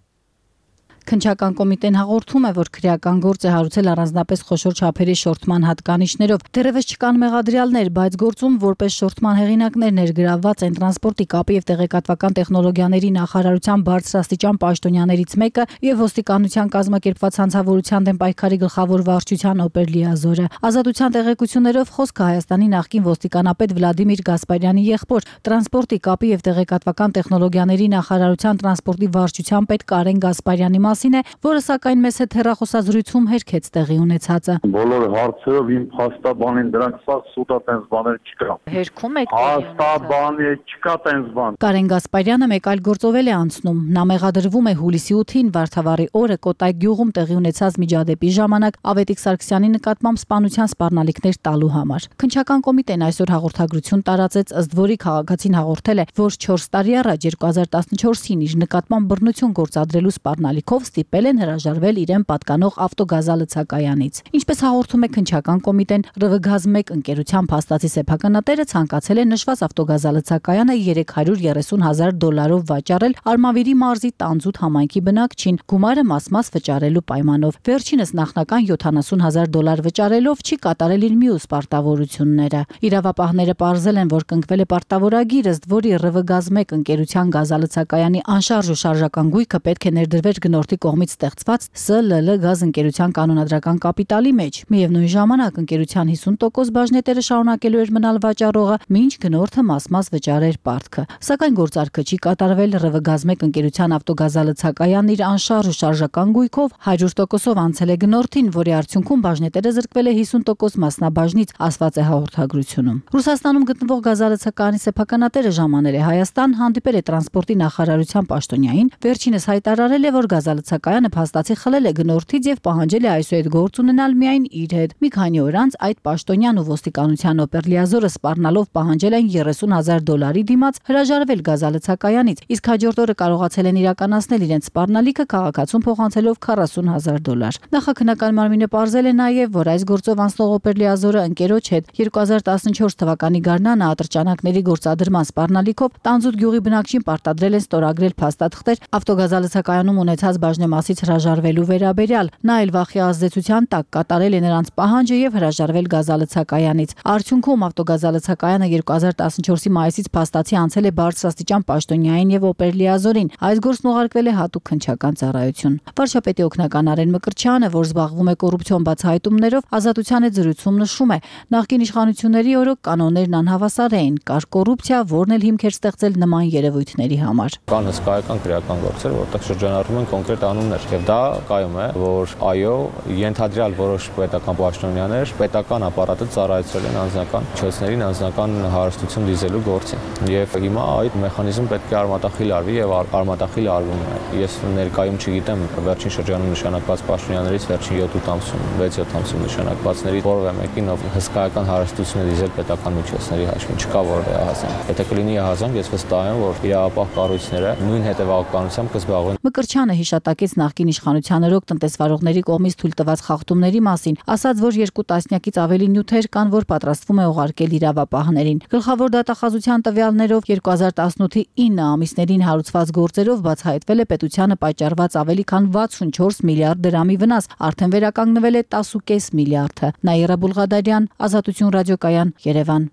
Քննչական կոմիտեն հաղորդում է, որ քրեական գործ է հարուցել առանձնապես խոշոր չափերի շորթման հատկանիշներով։ Դեռևս չկան մեղադրյալներ, բայց գործում որպես շորթման հեղինակներ ներգրավված են տրանսպորտի, կապի եւ տեղեկատվական տեխնոլոգիաների նախարարության բարձրաստիճան պաշտոնյաներից մեկը եւ ոստիկանության կազմակերպված հանցավորության դեմ պայքարի գլխավոր վարչության օպերլիազորը։ Ազատության տեղեկություններով խոսքը Հայաստանի նախկին ոստիկանապետ Վլադիմիր Գասպարյանի եղբոր, տրանսպորտի, կապի եւ տեղեկատվական տեխնոլոգիաների նախարարության տրանսպորտի վարչության պետ Կարեն Գասպարյանի է, որը սակայն մեզ հետ հեռախոսազրույցում հերքեց տեղի ունեցածը։ Բոլոր հարցերով իմ փաստաբանին դրանք սա սուտա տենց բաներ չկա։ Հերքում եք փաստաբանի չկա տենց բան։ Կարեն Գասպարյանը մեկ այլ գործով է անցնում։ Նա մեղադրվում է հուլիսի 8-ին Վարդավառի օրը Կոտայք գյուղում տեղի ունեցած միջադեպի ժամանակ Ավետիք Սարգսյանի նկատմամբ սպանության սպառնալիքներ տալու համար։ Քննչական կոմիտեն այսօր հաղորդագրություն տարածեց, ըստ որի քաղաքացին հաղորդել է, որ 4 տարի առաջ 2014-ին իր նկատմամբ բռնություն գործադրելու սպառնալիքով ստիպել են հրաժարվել իրեն պատկանող ավտոգազալցակայանից։ Ինչպես հաղորդում է քննչական կոմիտեն, ՌՎԳԱԶ-1 ընկերության փաստացի սեփականատերը ցանկացել է նշված ավտոգազալցակայանը $330,000 վաճառել Արմավիրի մարզի Տանձուտ համայնքի բնակչին, գումարը մաս-մաս վճարելու պայմանով։ Վերջինս նախնական $70,000 վճարելով չի կատարել իր մյուս պարտավորությունները։ Իրավապահները պարզել են, որ կնքվել է պարտավորագիր, ըստ որի ՌՎԳԱԶ-1 ընկերության գազալցակայանի անշարժ ու շարժական գույքը պետք է ներդրվեր գնորդի կողմից ստեղծված ՍԼԼ գազ ընկերության կանոնադրական կապիտալի մեջ։ Միևնույն ժամանակ ընկերության 50% բաժնետերը շարունակելու էր մնալ վաճառողը, մինչ գնորդը մաս-մաս վճարեր պարտքը։ Սակայն գործարքը չի կատարվել, ՌՎԳԱԶ-1 ընկերության ավտոգազալցակայանն իր անշարժ ու շարժական գույքով 100%-ով անցել է գնորդին, որի արդյունքում բաժնետերը զրկվել է 50% մասնաբաժնից, ասված է հաղորդագրությունում։ Ռուսաստանում գտնվող գազալցակայանի սեփականատերը ժամանել է Հայաստան, հանդիպել է տրանսպորտի նախարարության պաշտոնյային, վերջինս հայտարարել է, որ գազալցակայանը փաստացի խլել է գնորդից եւ պահանջել է այսուհետ գործ ունենալ միայն իր հետ։ Մի քանի օր անց այդ պաշտոնյան ու ոստիկանության օպերլիազորը սպառնալով պահանջել են $30,000 դիմաց հրաժարվել գազալցակայանից, իսկ հաջորդ օրը կարողացել են իրականացնել իրենց սպառնալիքը քաղաքացուն փոխանցելով $40,000։ Նախաքննական մարմինը պարզել է նաեւ, որ այս գործով անցնող օպերլիազորը ընկերոջ հետ 2014 թվականի գարնանը ատրճանակների գործադրման սպառնալիքով Տանձուտ գյուղի բնակչին պարտադրել են ստորագրել փաստաթղթեր ավտոգազալցակայանում ունեցած բաժնեմասից հրաժարվելու վերաբերյալ։ Նա էլ վախի ազդեցության տակ կատարել է նրանց պահանջը եւ հրաժարվել գազալցակայանից։ Արդյունքում ավտոգազալցակայանը 2014-ի մայիսից փաստացի անցել է բարձրաստիճան պաշտոնյային եւ օպերլիազորին։ Այս գործն ուղարկվել է հատուկ քննչական ծառայություն։ Վարչապետի օգնական Արեն Մկրտչյանը, որ զբաղվում է կոռուպցիոն բացահայտումներով, Ազատության հետ զրույցում նշում է. նախկին իշխանությունների օրոք կանոններն անհավասար էին, կար կոռուպցիա, որն էլ հիմք էր ստեղծել նման երևույթների համար։ Կան հսկայական քրեական գործեր, որտեղ շրջանառվում են կոնկրետ անուններ, եւ դա կայում է, որ այո, ենթադրյալ որոշ պետական պաշտոնյաներ պետական ապարատը ծառայեցրել են անձնական միջոցներին, անձնական հարստություն դիզելու գործին։ Եվ հիմա այդ մեխանիզմը պետք է արմատախիլ արվի եւ արմատախիլ արվում է։ Ես ներկայում չգիտեմ վերջին շրջանում նշանակված պաշտոնյաներից վերջին 7-8 ամսում, 6-7 ամսում նշանակվածների որևէ մեկին ով հսկայական հարստություն է դիզել պետական միջոցների հաշվին, չկա որևէ ահազանգ։ Եթե կլինի ահազանգ, ես վստահ եմ, որ իրավապահ կառույցները նույն հետևականությամբ կզբաղվեն։ Մկրտչյանը հիշատակեց նախկին իշխանության օրոք տնտեսվարողների կողմից թույլ տված խախտումների մասին, ասաց, որ 2 տասնյակից ավելի նյութեր կան, որ պատրաստվում է ուղարկել իրավապահներին։ Գլխավոր դատախազության տվյալներով 2018-ի 9 ամիսներին հարուցված գործերով բացահայտվել է պետությանը պայճառված ավելի քան 64 միլիարդ դրամի վնաս, արդեն վերականգնվել է 10.5 միլիարդը։ Նաիրա Բուլղադարյան, Ազատություն ռադիոկայան, Երևան։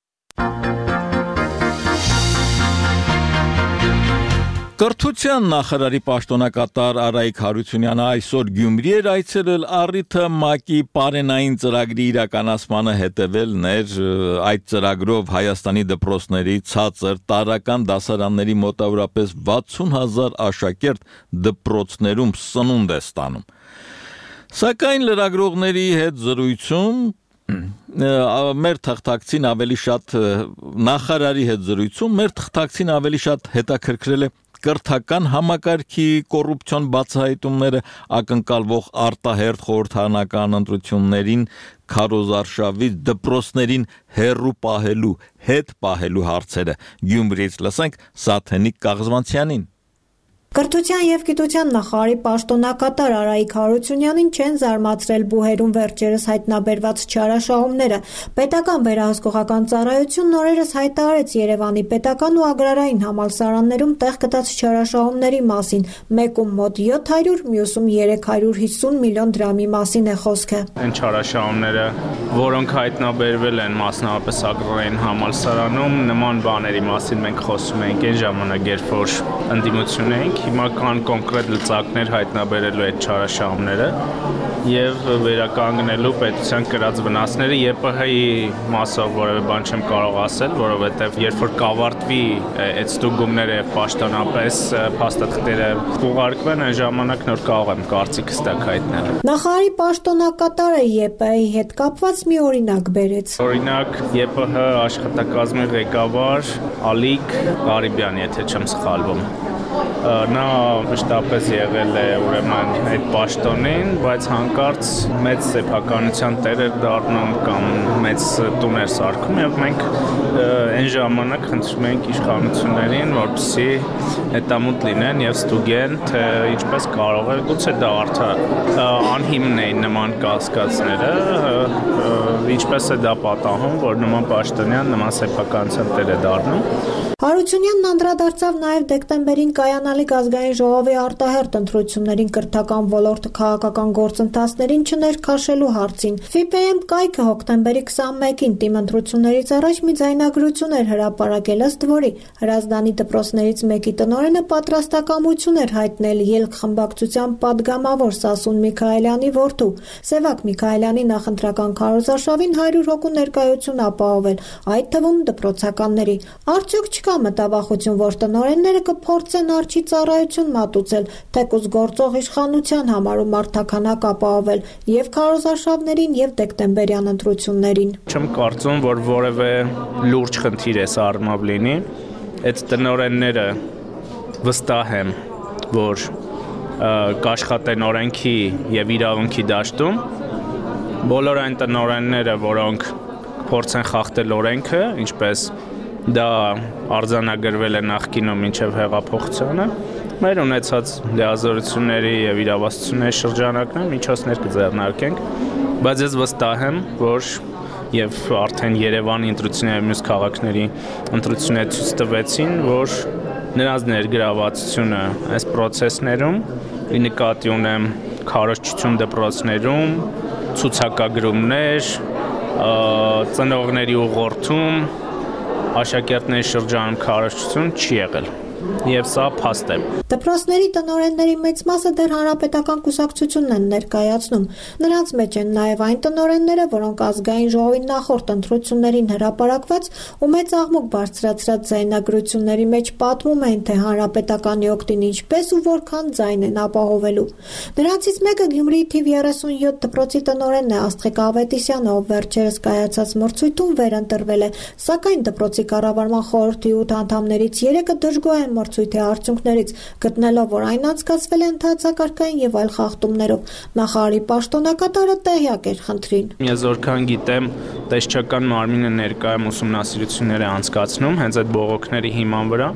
Կրթության նախարարի պաշտոնակատար Արայիկ Հարությունյանը այսօր Գյումրի էր այցելել առիթը ՄԱԿ-ի պարենային ծրագրի իրականացմանը հետևելն էր։ Այդ ծրագրով Հայաստանի դպրոցների ցածր տարրական դասարանների մոտավորապես 60,000 աշակերտ դպրոցներում սնունդ է ստանում։ Սակայն լրագրողների հետ զրույցում մեր թղթակցին ավելի շատ նախարարի հետ զրույցում մեր թղթակցին ավելի շատ հետաքրքրել է կրթական համակարգի կոռուպցիոն բացահայտումները ակնկալվող արտահերթ խորհրդարանական ընտրություններին քարոզարշավից դպրոցներին հեռու պահելու հետ պահելու հարցերը Գյումրիից լսենք Սաթենիկ Կաղզվանցյանին Կրթության եւ գիտության նախարարի պաշտոնակատար Արայիկ Հարությունյանին չեն զարմացրել բուհերում վերջերս հայտնաբերված չարաշահումները։ Պետական վերահսկողական ծառայությունն օրերս հայտարարեց Երևանի պետական ու ագրարային համալսարաններում տեղ գտած չարաշահումների մասին, մեկում մոտ 700, մյուսում 350 միլիոն դրամի մասին է խոսքը։ Այն չարաշահումները, որոնք հայտնաբերվել են մասնավորապես ագրարային համալսարանում, նման բաների մասին մենք խոսում ենք այն ժամանակ, երբ որ ընդդիմություն էինք Հիմա կան կոնկրետ լծակներ հայտնաբերելու այդ չարաշահումները եւ վերականգնելու պետության կրած վնասները ԵՊՀ-ի մասով որևէ բան չեմ կարող ասել, որովհետեւ երբ որ կավարտվի այդ ստուգումները պաշտոնապես փաստաթղթերը ուղարկվեն, այն ժամանակ նոր կարող եմ կարծիքս տակ հայտնել։ Նախարարի պաշտոնակատարը ԵՊՀ-ի հետ կապված մի օրինակ բերեց։ Օրինակ ԵՊՀ աշխատակազմի ղեկավար Ալիկ Ղարիբյան, եթե չեմ սխալվում։ Նա մշտապես եղել է ուրեմն այդ պաշտոնին, բայց հանկարծ մեծ սեփականության տեր էր դառնում կամ մեծ տուն էր սարքում եւ մենք այն ժամանակ խնդրում ենք իշխանություններին, որպեսզի հետամուտ լինեն եւ ստուգեն, թե ինչպես կարող է գուցե դա անհիմն էին նման կասկածները, ինչպես է դա պատահում, որ նման պաշտոնյան նման սեփականության տեր է դառնում։ Հարությունյանն անդրադարձավ նաև դեկտեմբերին կայանալիք ազգային ժողովի արտահերթ ընտրություններին կրթական ոլորտը քաղաքական գործընթացներին չներքաշելու հարցին։ ՖԻՊԵ-ում կայքը հոկտեմբերի 21-ին թիմ ընտրություններից առաջ մի ձայնագրություն էր հրապարակել, ըստ որի Հրազդանի դպրոցներից մեկի տնօրենը պատրաստակամություն էր հայտնել ելք խմբակցության падգամավոր Սասուն Միքայելյանի որդու Սևակ Միքայելյանի նախընտրական քարոզարշավին 100 հոգու ներկայություն ապահովել, այդ թվում դպրոցականների։ Արդյոք չկա մտավախություն, որ տնօրենները կփորձեն արջի ծառայություն մատուցել, թեկուզ գործող իշխանության համարում մարդաքանակ ապահովել եւ քարոզարշավներին եւ դեկտեմբերյան ընտրություններին։ Չեմ կարծում, որ որևէ լուրջ խնդիր է սա առումով լինի։ Այդ տնօրենները վստահ եմ, որ կաշխատեն օրենքի եւ իրավունքի դաշտում։ Բոլոր այն տնօրենները, որոնք փորձեն խախտել օրենքը, ինչպես դա արձանագրվել է նախկինում մինչև հեղափոխությունը, մեր ունեցած լիազորությունների եւ իրավասությունների շրջանակներում միջոցներ կձեռնարկենք, բայց ես վստահ եմ, որ եւ արդեն Երևանի ընտրությունների մյուս քաղաքների ընտրությունները ցույց տվեցին, որ նրանց ներգրավվածությունը այս process-ներում, ի նկատի ունեմ քարոզչություն դպրոցներում, ցուցակագրումներ, ծնողների ուղղորդում աշակերտների շրջանում քարոզչություն չի եղել եւ սա փաստ է։ Դպրոցների տնօրենների մեծ մասը դեռ հանրապետական կուսակցությունն են ներկայացնում։ Նրանց մեջ են նաեւ այն տնօրենները, որոնք ազգային ժողովի նախորդ ընտրություններին հրապարակված ու մեծ աղմուկ բարձրացրած ձայնագրությունների մեջ պատմում են, թե հանրապետականի օգտին ինչպես ու որքան ձայն են ապահովելու։ Նրանցից մեկը Գյումրիի թիվ 37 դպրոցի տնօրենն է Աստղիկ Ավետիսյանը, ով վերջերս կայացած մրցույթում վերընտրվել է, սակայն դպրոցի կառավարման խորհրդի 8 անդամներից 3-ը դժգոհ են մրցույթի արդյունքներից, գտնելով, որ այն անցկացվել է ընդհանցակարգային եւ այլ խախտումներով։ Նախարարի պաշտոնակատարը տեղյակ էր խնդրին։ Ես որքան գիտեմ, տեսչական մարմինը ներկայում ուսումնասիրություններ է անցկացնում հենց այդ բողոքների հիման վրա։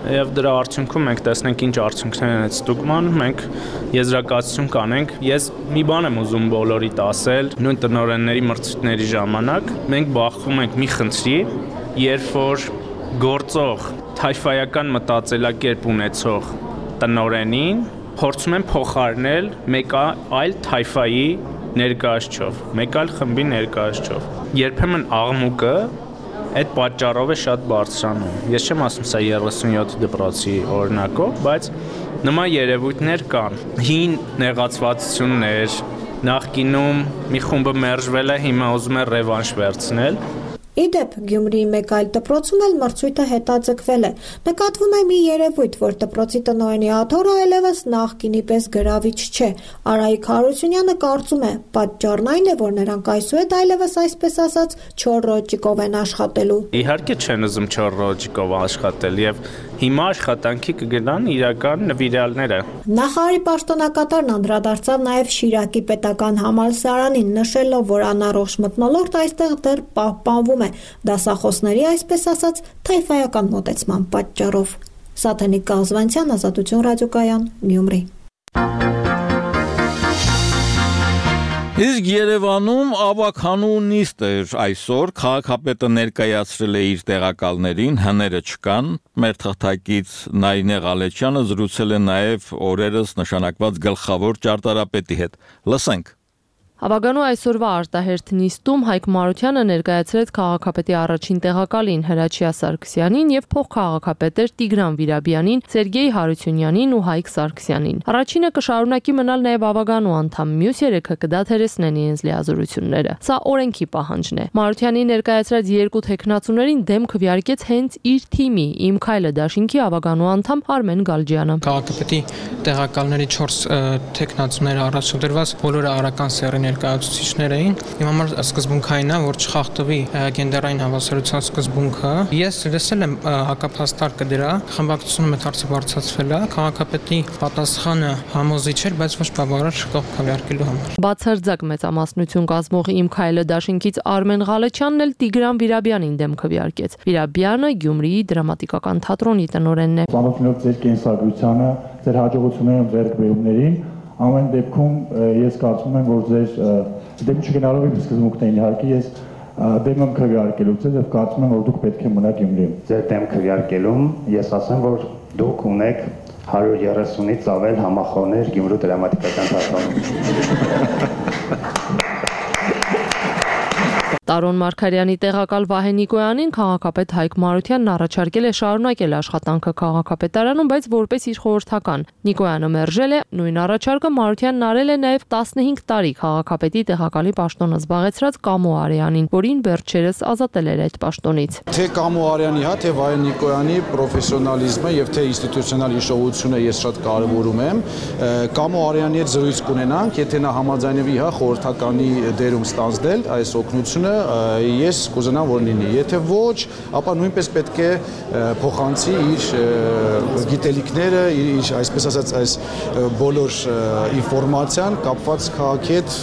Եվ դրա արդյունքում մենք տեսնենք ինչ արդյունքներ են այդ ստուգման, մենք եզրակացություն կանենք։ Ես մի բան եմ ուզում բոլորիդ ասել, նույն տնօրենների մրցույթների ժամանակ մենք բախվում ենք մի խնդրի, երբ որ գործող թայֆայական մտածելակերպ ունեցող տնօրենին փորձում են փոխարինել մեկ այլ թայֆայի ներկայացչով, մեկ այլ խմբի ներկայացչով։ Երբեմն աղմուկը այդ պատճառով է շատ բարձրանում։ Ես չեմ ասում սա 37 դպրոցի օրինակով, բայց նման երևույթներ կան։ Հին նեղացվածություններ, նախկինում մի խումբը մերժվել է, հիմա ուզում է ռևանշ վերցնել։ Իդեպ Գյումրիի մեկ այլ դպրոցում էլ մրցույթը հետաձգվել է։ Նկատվում է մի երևույթ, որ դպրոցի տնօրենի աթոռը այլևս նախկինի պես գրավիչ չէ։ Արայիկ Հարությունյանը կարծում է, պատճառն այն է, որ նրանք այսուհետ այլևս այսպես ասած չոր ռոճիկով են աշխատելու։ Իհարկե չեն ուզում չոր ռոճիկով աշխատել եւ հիմա աշխատանքի կգնան իրական նվիրյալները։ Նախարարի պաշտոնակատարն անդրադարձավ նաև Շիրակի պետական համալսարանին, նշելով, որ անառողջ մթնոլորտ այստեղ դեռ պահպանվում է դասախոսների, այսպես ասած, թայֆայական մոտեցման պատճառով։ Սաթենիկ Կազվանցյան, Ազատություն ռադիոկայան, Գյումրի։ Իսկ Երևանում ավականու նիստ էր այսօր, քաղաքապետը ներկայացրել է իր տեղակալներին, հները չկան, մեր թղթակից Նայինե Ղալեչյանը զրուցել է նաև օրերս նշանակված գլխավոր ճարտարապետի հետ։ Լսենք։ Ավականու այսօրվա արտահերթ նիստում Հայկ Մարությանը ներկայացրեց քաղաքապետի առաջին տեղակալին Հրաչյա Սարգսյանին եւ փոխքաղաքապետեր Տիգրան Վիրաբյանին, Սերգեյ Հարությունյանին ու Հայկ Սարգսյանին։ Առաջինը կշարունակի մնալ նաեւ ավականու անդամ, մյուս երեքը կդադարեցնեն իրենց լիազորությունները։ Սա օրենքի պահանջն է։ Մարությանի ներկայացրած երկու տեխնացուներին դեմ քվեարկեց հենց իր թիմի Իմ Քայլը դաշինքի ավականու անդամ Արմեն Գալջյանը։ Քաղաքապետի տեղակալների 4 տեխնացուները առաջադրված բոլորը արական սեռի ներկայացուցիչներ էին։ Իմ համար սկզբունքային է, որ չխախտվի գենդերային հավասարության սկզբունքը։ Ես լսել եմ հակափաստարկը դրա, խմբակցությունը մեծ հարցը բարձրացվել է, քաղաքապետի պատասխանը համոզիչ էր, բայց ոչ բավարար կողմ քվեարկելու համար։ Բացարձակ մեծամասնություն կազմող Իմ Քայլը դաշինքից Արմեն Ղալեչյանն էլ Տիգրան Վիրաբյանին դեմ քվեարկեց։ Վիրաբյանը Գյումրիի դրամատիկական թատրոնի տնօրենն է։ Ծանոթանալով ձեր կենսագրությանը, ձեր հաջողություններին ու ձեռքբերումներին, ամեն դեպքում ես կարծում եմ, որ ձեր դեմ չգնալով իմ սկզբունքներին իհարկե ես դեմ եմ քվեարկելուց եւ կարծում եմ, որ դուք պետք է մնաք Գյումրիում։ Ձեր դեմ քվեարկելում ես ասեմ, որ դուք ունեք 130-ից ավել համախոհներ Գյումրու դրամատիկական թատրոնում։ Տարոն Մարգարյանի տեղակալ Վահե Նիկոյանին քաղաքապետ Հայկ Մարությանն առաջարկել է շարունակել աշխատանքը քաղաքապետարանում, բայց որպես իր խորհրդական։ Նիկոյանը մերժել է, նույն առաջարկը Մարությանն արել է նաև 15 տարի քաղաքապետի տեղակալի պաշտոնը զբաղեցրած Կամո Արյանին, որին վերջերս ազատել էր այդ պաշտոնից։ Թե Կամո Արյանի, թե Վահե Նիկոյանի պրոֆեսիոնալիզմը եւ թե ինստիտուցիոնալ հիշողությունը ես շատ կարեւորում եմ։ Կամո Արյանի հետ զրույց կունենանք, եթե նա համաձայնվի խորհրդականի դերում ստանձնել այս օգնությունը, ես կուզենամ որ լինի, եթե ոչ, ապա նույնպես պետք է փոխանցի իր գիտելիքները, իր այսպես ասած այս բոլոր ինֆորմացիան կապված քաղաքի հետ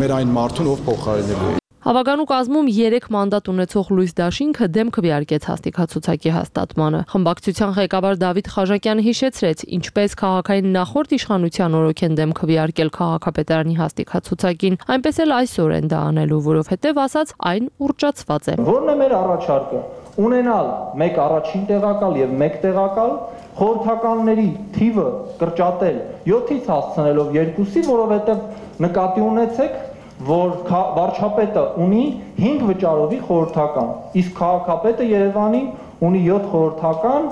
մեր այն մարդուն, ով փոխարինելու է։ Հավականու կազմում 3 մանդատ ունեցող Լույս Դաշինքը դեմ քվեարկեց հաստիքացուցակի հաստատմանը։ Խմբակցության ղեկավար Դավիթ Խաժակյանը հիշեցրեց, ինչպես քաղաքային նախորդ իշխանության օրոք են դեմ քվեարկել քաղաքապետարանի հաստիքացուցակին, այնպես էլ այսօր են դա անելու, որովհետև ասաց այն ուռճացված է։ Որն է մեր առաջարկը։ Ունենալ 1 առաջին տեղակալ եւ 1 տեղակալ, խորհրդականների թիվը կրճատել 7-ից հասցնելով 2-ի, որովհետեւ նկատի ունեցեք, որ վարչապետը ունի 5 վճարովի խորհրդական, իսկ քաղաքապետը Երևանի ունի 7 խորհրդական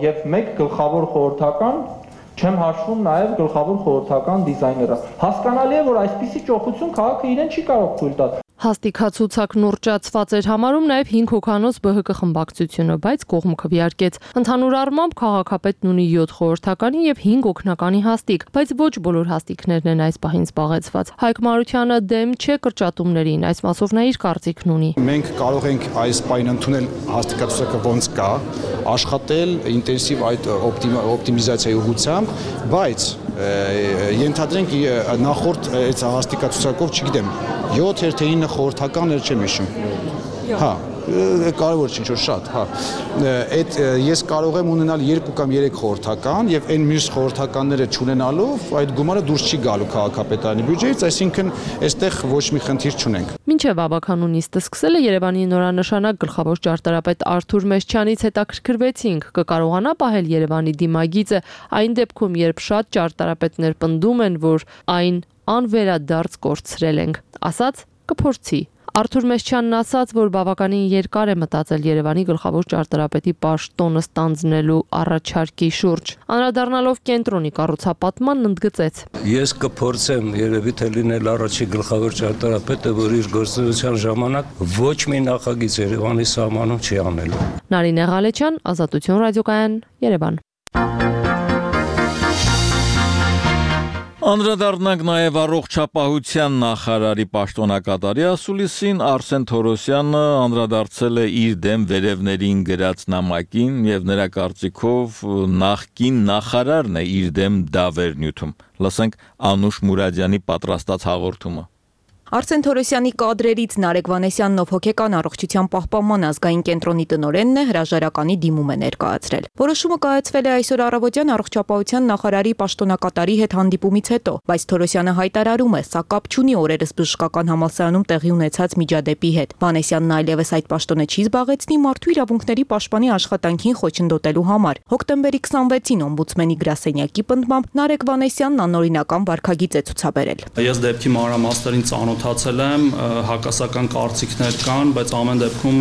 եւ 1 գլխավոր խորհրդական, չեմ հաշվում նաեւ գլխավոր խորհրդական դիզայները։ Հասկանալի է, որ այսպիսի ճոխություն քաղաքը իրեն չի կարող թույլ տալ։ Հաստիքացուցակն ուռճացված էր համարում նաև 5 հոգանոց ԲՀԿ խմբակցությունը, բայց կողմ քվեարկեց։ Ընդհանուր առմամբ քաղաքապետն ունի 7 խորհրդականի եւ 5 օգնականի հաստիկ, բայց ոչ բոլոր հաստիկներն են այս պահին զբաղեցված։ Հայկ Մարությանը դեմ չէ կրճատումներին, այս մասով նա իր կարծիքն ունի։ Մենք կարող ենք այս պահին ընդունել հաստիքացուցակը ոնց կա, աշխատել ինտենսիվ այդ օպտիմիզացիայի ուղղությամբ, բայց ենթադրենք նախորդ այս հաստիքացուցակով, չգիտեմ, 7 թե 9 խորհրդական էր չեմ հիշում։ Հա, կարևոր չէ, ինչ որ շատ, հա։ Այդ ես կարող եմ ունենալ 2 կամ 3 խորհրդական եւ այն մյուս խորհրդականները չունենալով այդ գումարը դուրս չի գալու քաղաքապետարանի բյուջեից, այսինքն այստեղ ոչ մի խնդիր չունենք։ Մինչև ավականու նիստը սկսել է Երևանի նորանշանակ գլխավոր ճարտարապետ Արթուր Մեշչյանից հետաքրքրվեցինք, կկարողանա պահել Երևանի դիմագիծը այն դեպքում, երբ շատ ճարտարապետներ պնդում են, որ այն անվերադարձ կորցրել ենք, ասաց կփորձի։ Արթուր Մեսչյանն ասաց, որ բավականին երկար է մտածել Երևանի գլխավոր ճարտարապետի պաշտոնը ստանձնելու առաջարկի շուրջ։ Անդրադառնալով կենտրոնի կառուցապատմանն ընդգծեց. Ես կփորձեմ երևի թե լինել առաջի գլխավոր ճարտարապետը, որ իր գործունեության ժամանակ ոչ մի նախագիծ Երևանի սահմանում չի անելու։ Նարինե Ղալեչյան, Ազատություն ռադիոկայան, Երևան։ Անդրադառնանք նաև առողջապահության նախարարի պաշտոնակատարի ասուլիսին Արսեն Թորոսյանը անդրադարձել է իր դեմ վերևներին գրած նամակին եւ նրա կարծիքով նախկին նախարարն է իր դեմ դավեր նյութում։ Լսենք Անուշ Մուրադյանի պատրաստած հաղորդումը։ Արսեն Թորոսյանի կադրերից Նարեկ Վանեսյանն ով հոգեկան առողջության պահպանման ազգային կենտրոնի տնօրենն է հրաժարականի դիմում է ներկայացրել։ Որոշումը կայացվել է այսօր առավոտյան առողջապահության նախարարի պաշտոնակատարի հետ հանդիպումից հետո, բայց Թորոսյանը հայտարարում է, սա կապ չունի օրերս բժշկական համալսարանում տեղի ունեցած միջադեպի հետ։ Վանեսյանն այլևս այդ պաշտոնը չի զբաղեցնի մարդու իրավունքների պաշտպանի աշխատանքին խոչընդոտելու համար։ Հոկտեմբերի 26-ին օմբուդսմենի գրասենյակի պնդմամբ Նարեկ Վանեսյանն անօրինական վարքագիծ է ցուցաբերել։ Ես դեպքի մանրամասներին ծանոթացել եմ, հակասական կարծիքներ կան, բայց ամեն դեպքում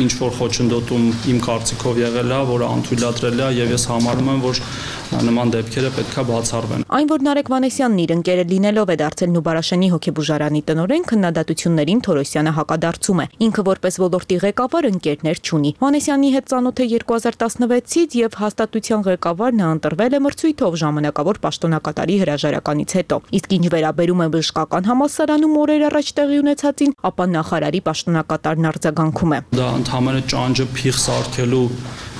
ինչ որ խոչընդոտում իմ կարծիքով եղել է, որը անթույլատրելի է եւ ես համարում եմ, որ նման դեպքերը պետք է բացառվեն։ Այն, որ Նարեկ Վանեսյանն իր ընկերը լինելով է դարձել Նուբարաշենի հոգեբուժարանի տնօրեն, քննադատություններին Թորոսյանը հակադարձում է։ Ինքը որպես ոլորտի ղեկավար ընկերներ չունի։ Վանեսյանի հետ ծանոթ է 2016-ից եւ հաստատության ղեկավար նա ընտրվել է մրցույթով ժամանակավոր պաշտոնակատարի հրաժարականից հետո։ Իսկ ինչ վերաբերում է բժշկական համալսարանում օրեր առաջ տեղի ունեցածին, ապա նախարարի պաշտոնակատարն արձագանքում է։ Դա ընդհանրապես ճանճը փիղ սարքելու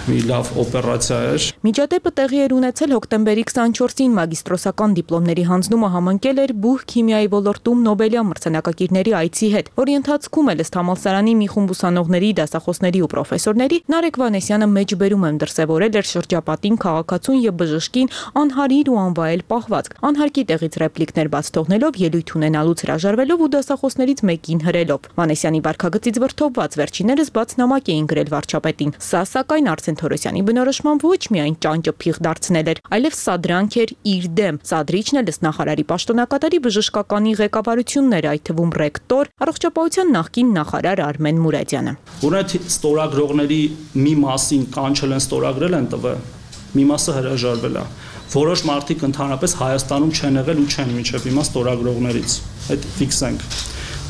մի լավ օպերացիա էր։ Միջադեպը տեղի էր ունեցել հոկտեմբերի 24-ին մագիստրոսական դիպլոմների հանձնումը համընկել էր բուհ քիմիայի ոլորտում Նոբելյան մրցանակակիրների այցի հետ, որի ընթացքում էլ ըստ համալսարանի մի խումբ ուսանողների, դասախոսների ու պրոֆեսորների Նարեկ Վանեսյանը մեջբերում եմ դրսևորել էր շրջապատին, քաղաքացուն եւ բժշկին անհարիր ու անվայել պահվածք, անհարկի տեղից ռեպլիկներ բաց թողնելով, ելույթ ունենալուց հրաժարվելով ու դասախոսներից մեկին հրելով։ Վանեսյանի վարքագծից վրդովված վերջիներս բաց նամակ էին գրել վարչապետին։ Սա սակայն Արսեն Թորոսյանի բնորոշման ոչ միայն ճանճը փիղ դարձնել էր, այլև սադրանք էր իր դեմ։ Սադրիչն էլ ըստ նախարարի պաշտոնակատարի բժշկականի ղեկավարությունն էր, այդ թվում ռեկտոր, առողջապահության նախկին նախարար Արմեն Մուրադյանը։ Որոնք ստորագրողների մի մասին կանչել են, ստորագրել են տվել, մի մասը հրաժարվել է։ Որոշ մարդիկ ընդհանրապես Հայաստանում չեն եղել ու չեն մինչև հիմա ստորագրողներից։ Այդ ֆիքսենք։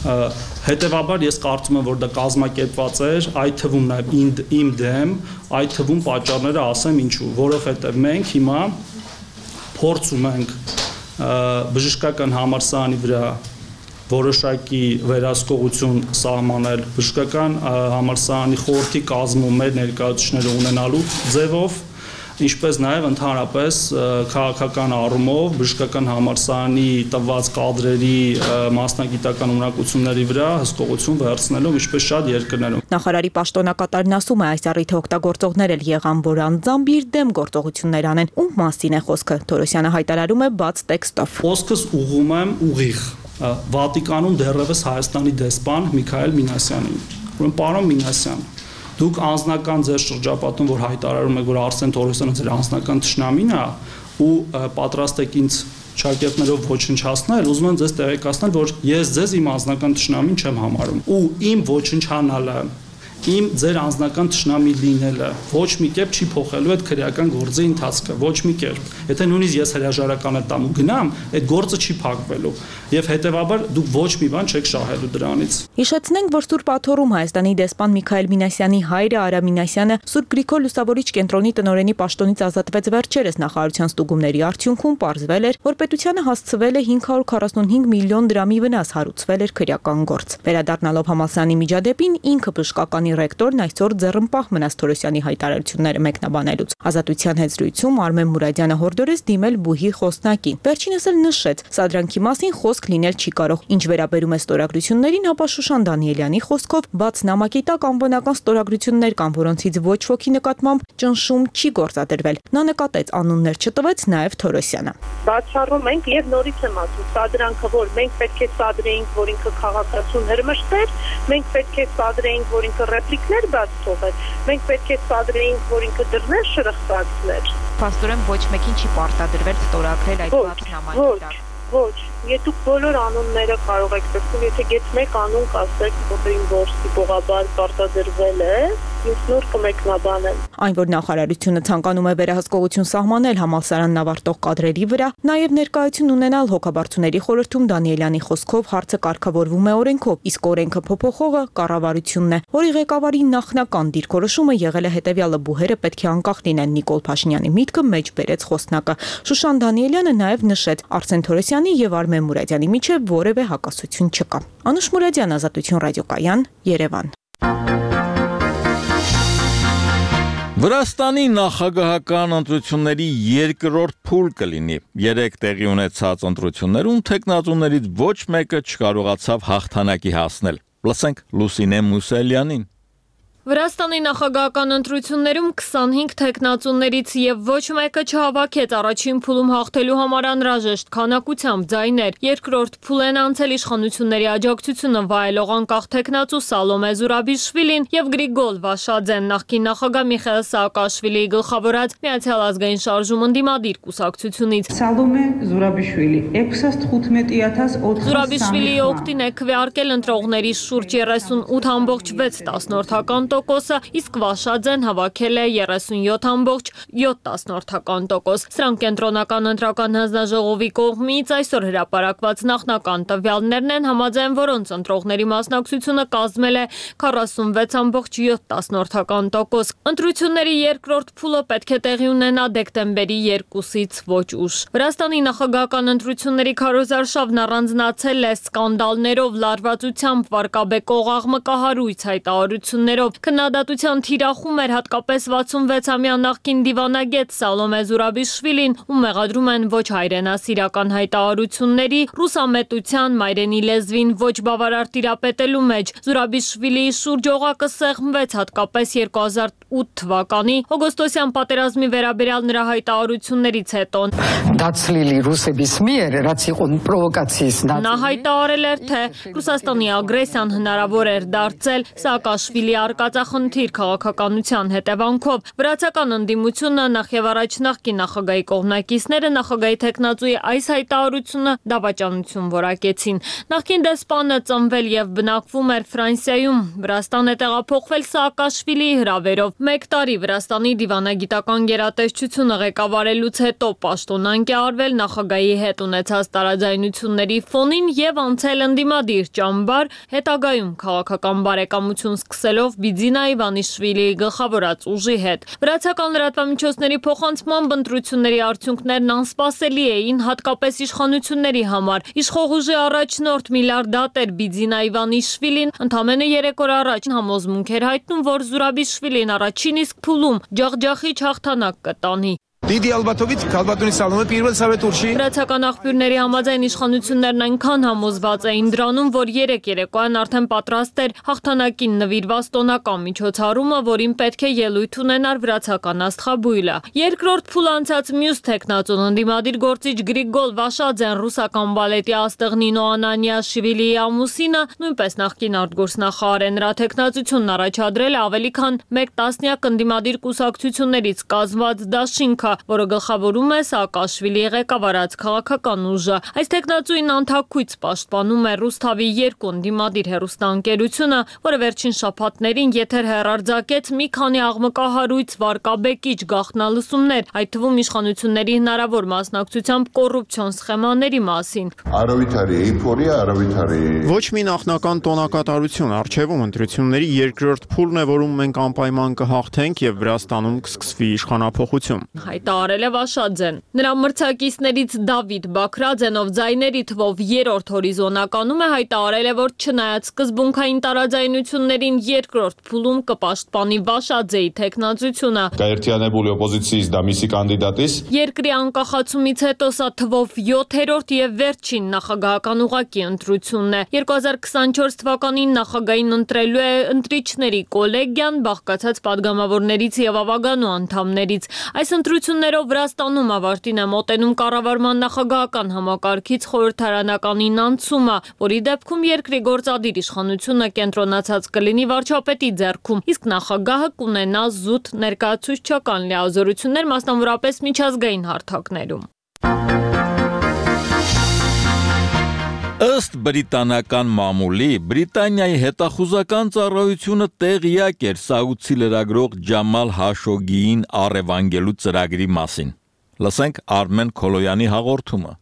Հետևաբար ես կարծում եմ, որ դա կազմակերպված էր, այդ թվում նաև իմ դեմ, այդ թվում պատճառները ասեմ ինչու, որովհետև մենք հիմա փորձում ենք բժշկական համալսարանի վրա որոշակի վերահսկողություն սահմանել, բժշկական համալսարանի խորհրդի կազմում մեր ներկայացուցիչները ունենալու ձևով, ինչպես նաև ընդհանրապես քաղաքական առումով բժշկական համալսարանի տված կադրերի մասնագիտական ունակությունների վրա հսկողություն վերցնելով, ինչպես շատ երկրներում։ Նախարարի պաշտոնակատարն ասում է, այս առիթը օգտագործողներ էլ եղան, որ անձամբ իր դեմ գործողություններ անեն։ Ում մասին է խոսքը։ Թորոսյանը հայտարարում է բաց տեքստով։ Խոսքս ուղղում եմ ուղիղ Վատիկանում դեռևս Հայաստանի դեսպան Միքայել Մինասյանին։ Ուրեմն պարոն Մինասյան, դուք անձնական ձեր շրջապատում, որ հայտարարում եք, որ Արսեն Թորոսյանը ձեր անձնական թշնամին է ու պատրաստ եք ինձ շակերտներով ոչնչացնել, ուզում եմ ձեզ տեղեկացնել, որ ես ձեզ իմ անձնական թշնամին չեմ համարում ու իմ ոչնչանալը, իմ ձեր անձնական թշնամի լինելը ոչ մի կերպ չի փոխելու այդ քրեական գործի ընթացքը, ոչ մի կերպ։ Եթե նույնիսկ ես հրաժարական տամ ու գնամ, այդ գործը չի փակվելու եւ հետեւաբար դուք ոչ մի բան չեք շահելու դրանից։ Հիշեցնենք, որ Սուրբ Աթոռում Հայաստանի դեսպան Միքայել Մինասյանի հայրը Արա Մինասյանը Սուրբ Գրիգոր Լուսավորիչ կենտրոնի տնօրենի պաշտոնից ազատվեց վերջերս նախարարության ստուգումների արդյունքում պարզվել էր, որ պետությանը հասցվել է 545 միլիոն դրամի վնաս, հարուցվել էր քրեական գործ։ Վերադառնալով համալսարանի միջադեպին ինքը բժշկականի ռեկտորն այսօր ձեռնպահ մնաց Թորոսյանի հայտարարությունները մեկնաբանելուց։ Ազատության հետ զրույցում Արմեն Մուրադյանը հորդորեց դիմել բուհի խոսնակին։ Վերջինս էլ նշեց, սադրանքի մասին խոսք լինել չի կարող։ Ինչ վերաբերում է ստորագրություններին, ապա Շուշան Դանիելյանի խոսքով բաց նամակի տակ անվանական ստորագրություններ կան, որոնցից ոչ ոքի նկատմամբ ճնշում չի գործադրվել։ Նա նկատեց, անուններ չտվեց նաև Թորոսյանը։ Բացառում ենք եւ նորից եմ ասում, սադրանքը, որ մենք պետք է սադրեինք, որ ինքը քաղաքացուն հրմշտեր, մենք պետք է սադրեինք, որ ինքը ռեպլիկներ բաց թողեր, մենք պետք է սադրեինք, որ ինքը դռներ շրխկացներ։ Փաստորեն ոչ մեկին չի պարտադրվել ստորագրել այդ բաց նամակի տակ։ Ոչ, եթե դուք բոլոր անունները կարող եք տեսնել, եթե գետ մեկ անուն կասեք, որին որ տիպողաբար պարտադրվել է, ինձ նոր կմեկնաբանեմ։ Այն, որ նախարարությունը ցանկանում է վերահսկողություն սահմանել համալսարանն ավարտող կադրերի վրա, նաև ներկայություն ունենալ հոգաբարձուների խորհրդում Դանիելյանի խոսքով հարցը կարգավորվում է օրենքով, իսկ օրենքը փոփոխողը կառավարությունն է, որի ղեկավարի նախնական դիրքորոշումը եղել է հետևյալը՝ բուհերը պետք է անկախ լինեն։ Նիկոլ Փաշինյանի միտքը մեջ բերեց խոսնակը։ Շուշան Դանիելյանը նաև նշեց, Արսեն Թորոսյանի եւ Արմեն Մուրադյանի միջև որևէ հակասություն չկա։ Անուշ Մուրադյան, Ազատություն ռադիոկայան, Երևան։ Վրաստանի նախագահական ընտրությունների երկրորդ փուլ կլինի։ 3 տեղի ունեցած ընտրություններում թեկնածուներից ոչ մեկը չկարողացավ հաղթանակի հասնել։ Լսենք Լուսինե Մուսելյանին։ Վրաստանի նախագահական ընտրություններում 25 թեկնածուներից եւ ոչ մեկը չհավաքեց առաջին փուլում հաղթելու համար անհրաժեշտ քանակությամբ ձայներ։ Երկրորդ փուլեն անցել իշխանությունների աջակցությունը վայելող անկախ թեկնածու Սալոմե Զուրաբիշվիլին եւ Գրիգոլ Վաշաձեն, նախկին նախագահ Միխայել Սաակաշվիլիի գլխավորած Միացյալ ազգային շարժում ընդդիմադիր կուսակցությունից։ Սալոմե Զուրաբիշվիլի 65,800 Զուրաբիշվիլիի օգտին է քվեարկել ընտրողների շուրջ 38,6%, իսկ Վաշաձեն հավաքել է 37,7%։ Սրանք կենտրոնական ընտրական հանձնաժողովի կողմից այսօր հրապարակված նախնական տվյալներն են, համաձայն որոնց ընտրողների մասնակցությունը կազմել է 46,7%։ Ընտրությունների երկրորդ փուլը պետք է տեղի ունենա դեկտեմբերի 2-ից ոչ ուշ։ Վրաստանի նախագահական ընտրությունների քարոզարշավն առանձնացել է սկանդալներով, լարվածությամբ, վարկաբեկող աղմկահարույց հայտարարություններով։ Քննադատության թիրախում էր հատկապես 66-ամյա նախկին դիվանագետ Սալոմե Զուրաբիշվիլին, ում մեղադրում են ոչ հայրենասիրական հայտարարությունների, ռուսամետության, մայրենի լեզվին ոչ բավարար տիրապետելու մեջ։ Զուրաբիշվիլիի շուրջ օղակը սեղմվեց հատկապես 2008 թվականի օգոստոսյան պատերազմի վերաբերյալ նրա հայտարարություններից հետո։ Նա հայտարարել էր, թե Ռուսաստանի ագրեսիան հնարավոր էր դարձել Սաակաշվիլի արկածախնդիր քաղաքականության հետևանքով։ Վրացական ընդդիմությունը նախ եւ առաջ նախկին նախագահի կողմնակիցները նախագահի թեկնածուի այս հայտարարությունը դավաճանություն որակեցին։ Նախկին դեսպանը ծնվել եւ բնակվում էր Ֆրանսիայում, Վրաստան է տեղափոխվել Սաակաշվիլիի հրավերով։ 1 տարի Վրաստանի դիվանագիտական գերատեսչությունը ղեկավարելուց հետո պաշտոնանկ է արվել նախագահի հետ ունեցած տարաձայնությունների ֆոնին եւ անցել ընդդիմադիր ճամբար, հետագայում քաղաքական բարեկամություն սկսելով Բիձինա Իվանիշվիլիի գլխավորած ուժի հետ։ Վրացական լրատվամիջոցների փոխանցմամբ ընտրությունների արդյունքներն անսպասելի էին հատկապես իշխանությունների համար։ Իշխող ուժի առաջնորդ միլիարդատեր Բիձինա Իվանիշվիլին ընդամենը 3 օր առաջ համոզմունք էր հայտնում, որ Զուրաբիշվիլին առաջին իսկ փուլում ջախջախիչ հաղթանակ կտանի։ Վրացական աղբյուրների համաձայն իշխանություններն այնքան համոզված էին դրանում, որ 3 երեկոյան արդեն պատրաստ էր հաղթանակին նվիրված տոնական միջոցառումը, որին պետք է ելույթ ունենար վրացական աստղաբույլը։ Երկրորդ փուլ անցած մյուս թեկնածուն ընդդիմադիր գործիչ Գրիգոլ Վաշաձեն, ռուսական բալետի աստղ Նինո Անանիաշվիլիի ամուսինը, նույնպես նախկին արտգործնախարար է, նրա թեկնածությունն առաջադրել է ավելի քան 1 տասնյակ ընդդիմադիր կուսակցություններից կազմված դաշինքը, որը գլխավորում է Սաակաշվիլիի ղեկավարած քաղաքական ուժը։ Այս թեկնածուին անթաքույց պաշտպանում է Ռուսթավի 2 ընդդիմադիր հեռուստաընկերությունը, որը վերջին շաբաթներին եթեր հեռարձակեց մի քանի աղմկահարույց վարկաբեկիչ գաղտնալսումներ, այդ թվում իշխանությունների հնարավոր մասնակցությամբ կոռուպցիոն սխեմաների մասին։ Ոչ մի նախնական տոնակատարություն, առջևում ընտրությունների երկրորդ փուլն է, որում մենք անպայման կհաղթենք եւ Վրաստանում կսկսվի իշխանափոխություն։ Հայտարարել է Վաշաձեն։ Նրա մրցակիցներից Դավիթ Բաքրաձենով ձայների թվով 3-րդ հորիզոնականում է հայտարարել է, որ չնայած սկզբունքային տարաձայնություններին երկրորդ փուլում կպաշտպանի Վաշաձեի թեկնածությունը։ Երկրի անկախացումից հետո սա թվով 7-րդ եւ վերջին նախագահական ուղղակի ընտրությունն է։ 2024 թվականին նախագահին ընտրելու է ընտրիչների կոլեգիան, բաղկացած падգամավորներից եւ ավագանու անդամներից։ Այս ընտրություններով Վրաստանում ավարտին է մոտենում կառավարման նախագահական համակարգից խորհրդարանականին անցումը, որի դեպքում երկրի գործադիր իշխանությունը կենտրոնացած կլինի վարչապետի ձեռքում, իսկ նախագահը կունենա զուտ ներկայացուցչական լիազորություններ, մասնավորապես միջազգային հարթակներում։ Ըստ բրիտանական մամուլի, Բրիտանիայի հետախուզական ծառայությունը տեղյակ էր սաուդցի լրագրող Ջամալ Հաշոգիին առևանգելու ծրագրի մասին։ Լսենք Արմեն Քոլոյանի հաղորդումը։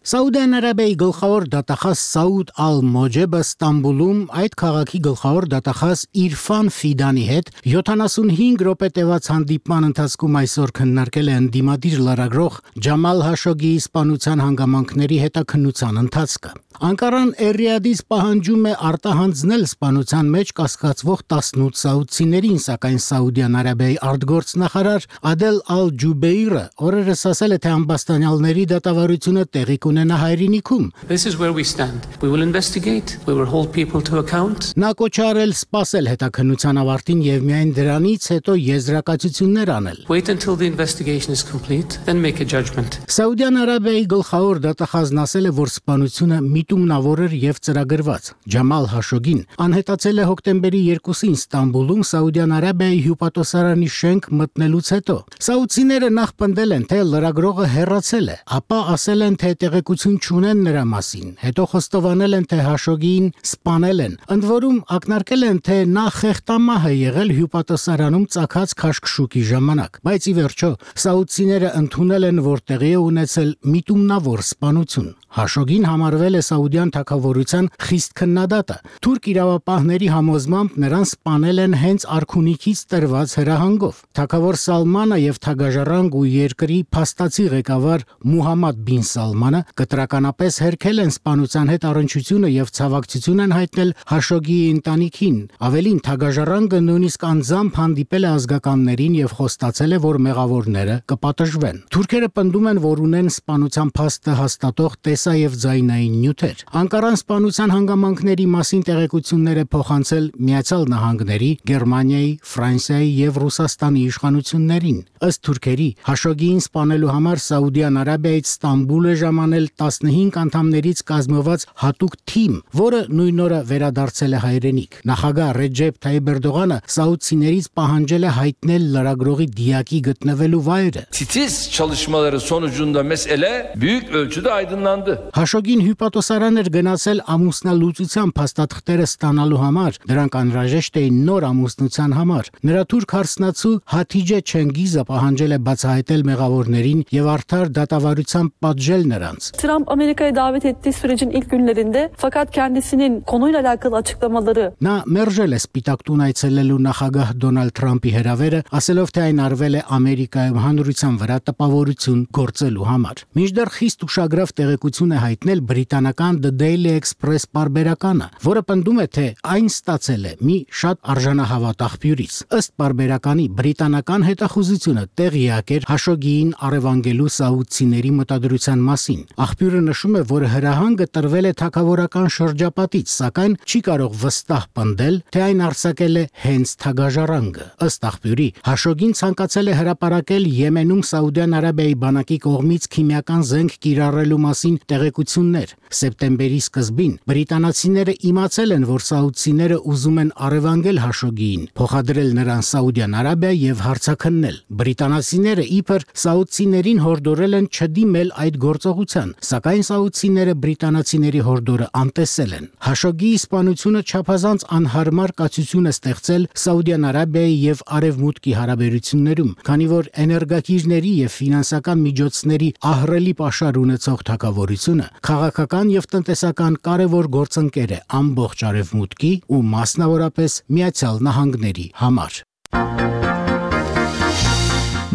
Սաուդյան Արաբիայի գլխավոր դատախազ Սաուդ Ալ-Մոջեբը Ստամբուլում այդ քաղաքի գլխավոր դատախազ Իրֆան Ֆիդանի հետ 75 րոպե տևած հանդիպման ընթացքում այսօր քննարկել է ընդդիմադիր լրագրող Ջամալ Հաշոգիի սպանության հանգամանքների հետաքննության ընթացքը։ Անկարան Էրիադից պահանջում է արտահանձնել սպանության մեջ կասկածվող 18 սաուդցիներին, սակայն Սաուդյան Արաբիայի արտգործնախարար Ադել Ալ-Ջուբեյրը օրերս ասել է, թե ամբաստանյալների դատավարությունը տեղի կունենա հայրենիքում։ Նա կոչ է արել սպասել հետաքննության ավարտին եւ միայն դրանից հետո եզրակացություններ անել։ Սաուդյան Արաբիայի գլխավոր դատախազն ասել է, որ սպանությունը միտումնավոր էր եւ ծրագրված։ Ջամալ Հաշոգին անհետացել է հոկտեմբերի 2-ին Ստամբուլում Սաուդյան Արաբիայի հյուպատոսարանի շենք մտնելուց հետո։ Սաուդցիները նախ պնդել են, թե լրագրողը հեռացել է, ապա ասել են, թե տեղեկություն չունեն նրա մասին, հետո խոստովանել են, թե Հաշոգիին սպանել են։ Ընդ որում ակնարկել են, թե նա խեղտամահ է եղել հյուպատոսարանում ծագած քաշքշուկի ժամանակ, բայց ի վերջո սաուդցիները ընդունել են, որ տեղի է ունեցել միտումնավոր սպանություն։ Հաշոգին համարվել է Սաուդյան թագավորության խիստ քննադատը։ Թուրք իրավապահների համոզմամբ նրան սպանել են հենց արքունիքից տրված հրահանգով։ Թագավոր Սալմանը եւ թագաժառանգ ու երկրի փաստացի ղեկավար Մուհամմադ բին Սալմանը կտրականապես հերքել են սպանության հետ առնչությունը եւ ցավակցություն են հայտնել Հաշոգիի ընտանիքին։ Ավելին, թագաժառանգը նույնիսկ անձամբ հանդիպել է ազգականներին եւ խոստացել է, որ մեղավորները կպատժվեն։ Թուրքերը պնդում են, որ ունեն սպանության փաստը հաստատող եւ ձայնային նյութեր։ Անկարան սպանության հանգամանքների մասին տեղեկություններ է փոխանցել Միացյալ Նահանգների, Գերմանիայի, Ֆրանսիայի եւ Ռուսաստանի իշխանություններին։ Ըստ թուրքերի, Հաշոգիին սպանելու համար Սաուդյան Արաբիայից Ստամբուլ է ժամանել 15 անդամներից կազմված հատուկ թիմ, որը նույն օրը վերադարձել է հայրենիք։ Նախագահ Ռեջեփ Թայիպ Էրդողանը սաուդցիներից պահանջել է հայտնել լրագրողի դիակի գտնվելու վայրը։ Titiz çalışmaları sonucunda mesele büyük ölçüde aydınlandı. Հաշոգին հյուպատոսարան էր գնացել ամուսնալուծության փաստաթղթերը ստանալու համար։ Դրանք անհրաժեշտ էին նոր ամուսնության համար։ Նրա թուրք հարսնացու Հաթիջե Չենգիզը պահանջել է բացահայտել մեղավորներին եւ արդար դատավարությամբ պատժել նրանց։ Trump Amerika'ya davet ettiği sürecin ilk günlerinde fakat kendisinin konuyla alakalı açıklamaları Նա մերժել է Սպիտակ տուն այցելելու նախագահ Դոնալդ Թրամփի հրավերը, ասելով, թե այն արվել է Ամերիկայում հանրության վրա տպավորություն գործելու համար։ Մինչդեռ խիստ ուշագրավ տեղեկություն է հայտնել բրիտանական The Daily Express պարբերականը, որը պնդում է, թե այն ստացել է մի շատ արժանահավատ աղբյուրից։ Ըստ պարբերականի, բրիտանական հետախուզությունը տեղյակ էր Հաշոգիին առևանգելու սաուդցիների մտադրության մասին։ Աղբյուրը նշում է, որ հրահանգը տրվել է թագավորական շրջապատից, սակայն չի կարող վստահ պնդել, թե այն արձակել է հենց թագաժառանգը։ Ըստ աղբյուրի, Հաշոգին ցանկացել է հրապարակել Եմենում Սաուդյան Արաբիայի բանակի կողմից քիմիական զենք կիրառելու մասին տեղեկություններ։ Սեպտեմբերի սկզբին բրիտանացիները իմացել են, որ սաուդցիները ուզում են առևանգել Հաշոգիին, փոխադրել նրան Սաուդյան Արաբիա եւ հարցաքննել։ Բրիտանացիները իբր սաուդցիներին հորդորել են չդիմել այդ գործողության, սակայն սաուդցիները բրիտանացիների հորդորը անտեսել են։ Հաշոգիի սպանությունը չափազանց անհարմար կացություն է ստեղծել Սաուդյան Արաբիայի եւ Արևմուտքի հարաբերություններում, քանի որ էներգակիրների եւ ֆինանսական միջոցների ահռելի պաշար ունեցող թագավորությունը քաղաքական եւ տնտեսական կարևոր գործընկեր է ամբողջ Արևմուտքի ու մասնավորապես Միացյալ Նահանգների համար։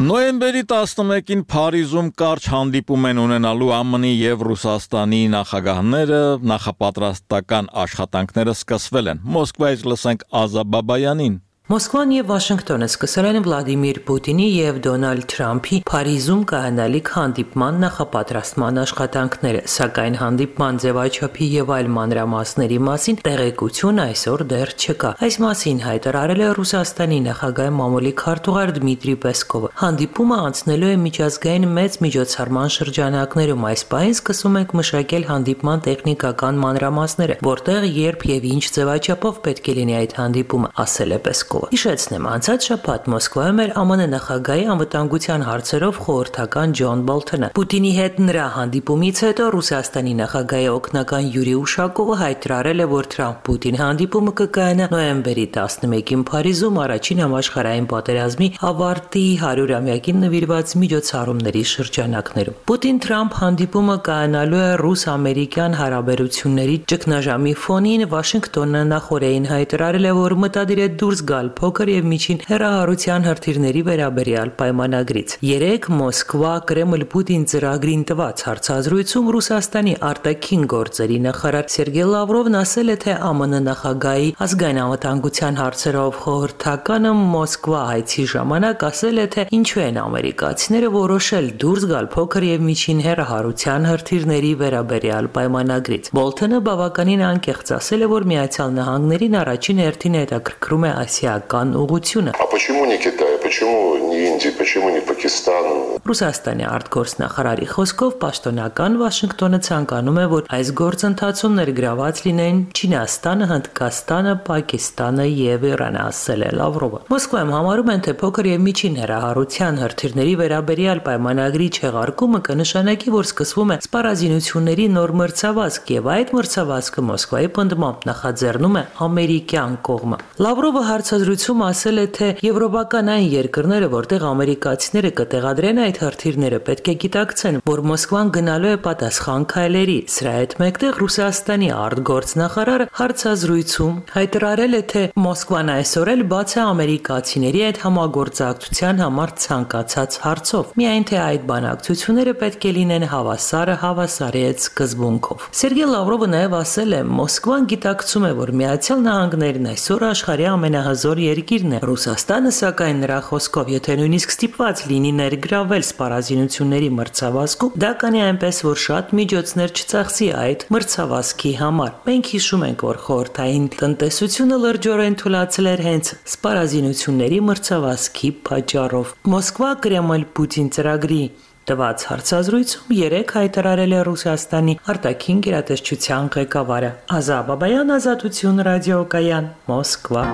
Նոյեմբերի 11-ին Փարիզում կարճ հանդիպում են ունենալու ԱՄՆ-ի եւ Ռուսաստանի նախագահները, նախապատրաստական աշխատանքները սկսվել են։ Մոսկվայից լսենք Ազա Բաբայանին։ Մոսկվան եւ Վաշինգտոնը սկսել են Վլադիմիր Պուտինի եւ Դոնալդ Թրամփի Փարիզում կայանալիք հանդիպման նախապատրաստման աշխատանքները, սակայն հանդիպման ձևաչափի եւ այլ մանրամասների մասին տեղեկություն այսօր դեռ չկա։ Այս մասին հայտարարել է Ռուսաստանի նախագահի մամուլի քարտուղար Դմիտրի Պեսկովը։ Հանդիպումը անցնելու է միջազգային մեծ միջոցառման շրջանակներում։ Այս պահին սկսում ենք մշակել հանդիպման տեխնիկական մանրամասները, որտեղ երբ եւ ինչ ձևաչափով պետք է լինի այդ հանդիպումը, ասել է Պեսկովը։ Պեսկովը։ Հիշեցնեմ, անցած շաբաթ Մոսկվայում էր ԱՄՆ նախագահի անվտանգության հարցերով խորհրդական Ջոն Բոլթոնը։ Պուտինի հետ նրա հանդիպումից հետո Ռուսաստանի նախագահի օգնական Յուրի Ուշակովը հայտարարել է, որ Թրամփ-Պուտին հանդիպումը կկայանա նոյեմբերի 11-ին Փարիզում առաջին համաշխարհային պատերազմի ավարտի 100-ամյակին նվիրված միջոցառումների շրջանակներում։ Պուտին-Թրամփ հանդիպումը կայանալու է ռուս-ամերիկյան հարաբերությունների ճգնաժամի ֆոնին։ Վաշինգտոնը նախորդին հայտարարել է, որ մտադիր է դուրս գալ փոքր եւ միջին հեռահարության հրթիռների վերաբերյալ պայմանագրից։ Երեկ Մոսկվա Կրեմլ-Պուտին ծրագրին տված հարցազրույցում Ռուսաստանի արտաքին գործերի նախարար Սերգեյ Լավրովն ասել է, թե ԱՄՆ նախագահի ազգային անվտանգության հարցերով խորհրդականը Մոսկվա հայցի ժամանակ ասել է, թե ինչու են ամերիկացիները որոշել դուրս գալ փոքր եւ միջին հեռահարության հրթիռների վերաբերյալ պայմանագրից։ Բոլթոնը բավականին անկեղծ ասել է, որ Միացյալ Նահանգներին առաջին հերթին հետաքրքրում է ասիական ուղղությունը։ Почему не Китай? Почему не Индия? Почему не Пакистан? Ռուսաստանի արտգործնախարարի խոսքով պաշտոնական Վաշինգտոնը ցանկանում է, որ այս գործընթացում ներգրաված լինեն Չինաստանը, Հնդկաստանը, Պակիստանը եւ Իրանը, ասել է Լավրովը։ Մոսկվայում համարում են, թե փոքր եւ միջին հեռահարության հրթիռների վերաբերյալ պայմանագրի չեղարկումը կնշանակի, որ սկսվում է սպառազինությունների նոր մրցավազք եւ այդ մրցավազքը Մոսկվայի պնդմամբ նախաձեռնում է ամերիկյան կողմը։ Լավրովը հարցազրույցում ասել է, թե եվրոպական այն երկրները, որտեղ ամերիկացիները կտեղադրեն այդ հրթիռները, պետք է գիտակցեն, որ Մոսկվան գնալու է պատասխան քայլերի։ Սրա հետ մեկտեղ Ռուսաստանի արտգործնախարարը հարցազրույցում հայտարարել է, թե Մոսկվան այսօր էլ բաց է ամերիկացիների հետ համագործակցության համար ցանկացած հարցով։ Միայն թե այդ բանակցությունները պետք է լինեն հավասարը հավասարի հետ սկզբունքով։ Սերգեյ Լավրովը նաև ասել է, Մոսկվան գիտակցում է, որ Միացյալ Նահանգներն այսօր աշխարհի ամենահզոր երկիրն է։ Ռուսաստանը, սակայն նրա խոսքով, եթե նույնիսկ ստիպված լինի ներգրավել սպառազինությունների մրցավազքում, դա կանի այնպես, որ շատ միջոցներ չծախսի այդ մրցավազքի համար։ Մենք հիշում ենք, որ խորհրդային տնտեսությունը լրջորեն թուլացել էր հենց սպառազինությունների մրցավազքի պատճառով։ Մոսկվա Կրեմլ-Պուտին ծրագրի տված հարցազրույցում երեկ հայտարարել է Ռուսաստանի արտաքին գերատեսչության ղեկավարը։ Ազա Բաբայան, Ազատություն ռադիոկայան, Մոսկվա։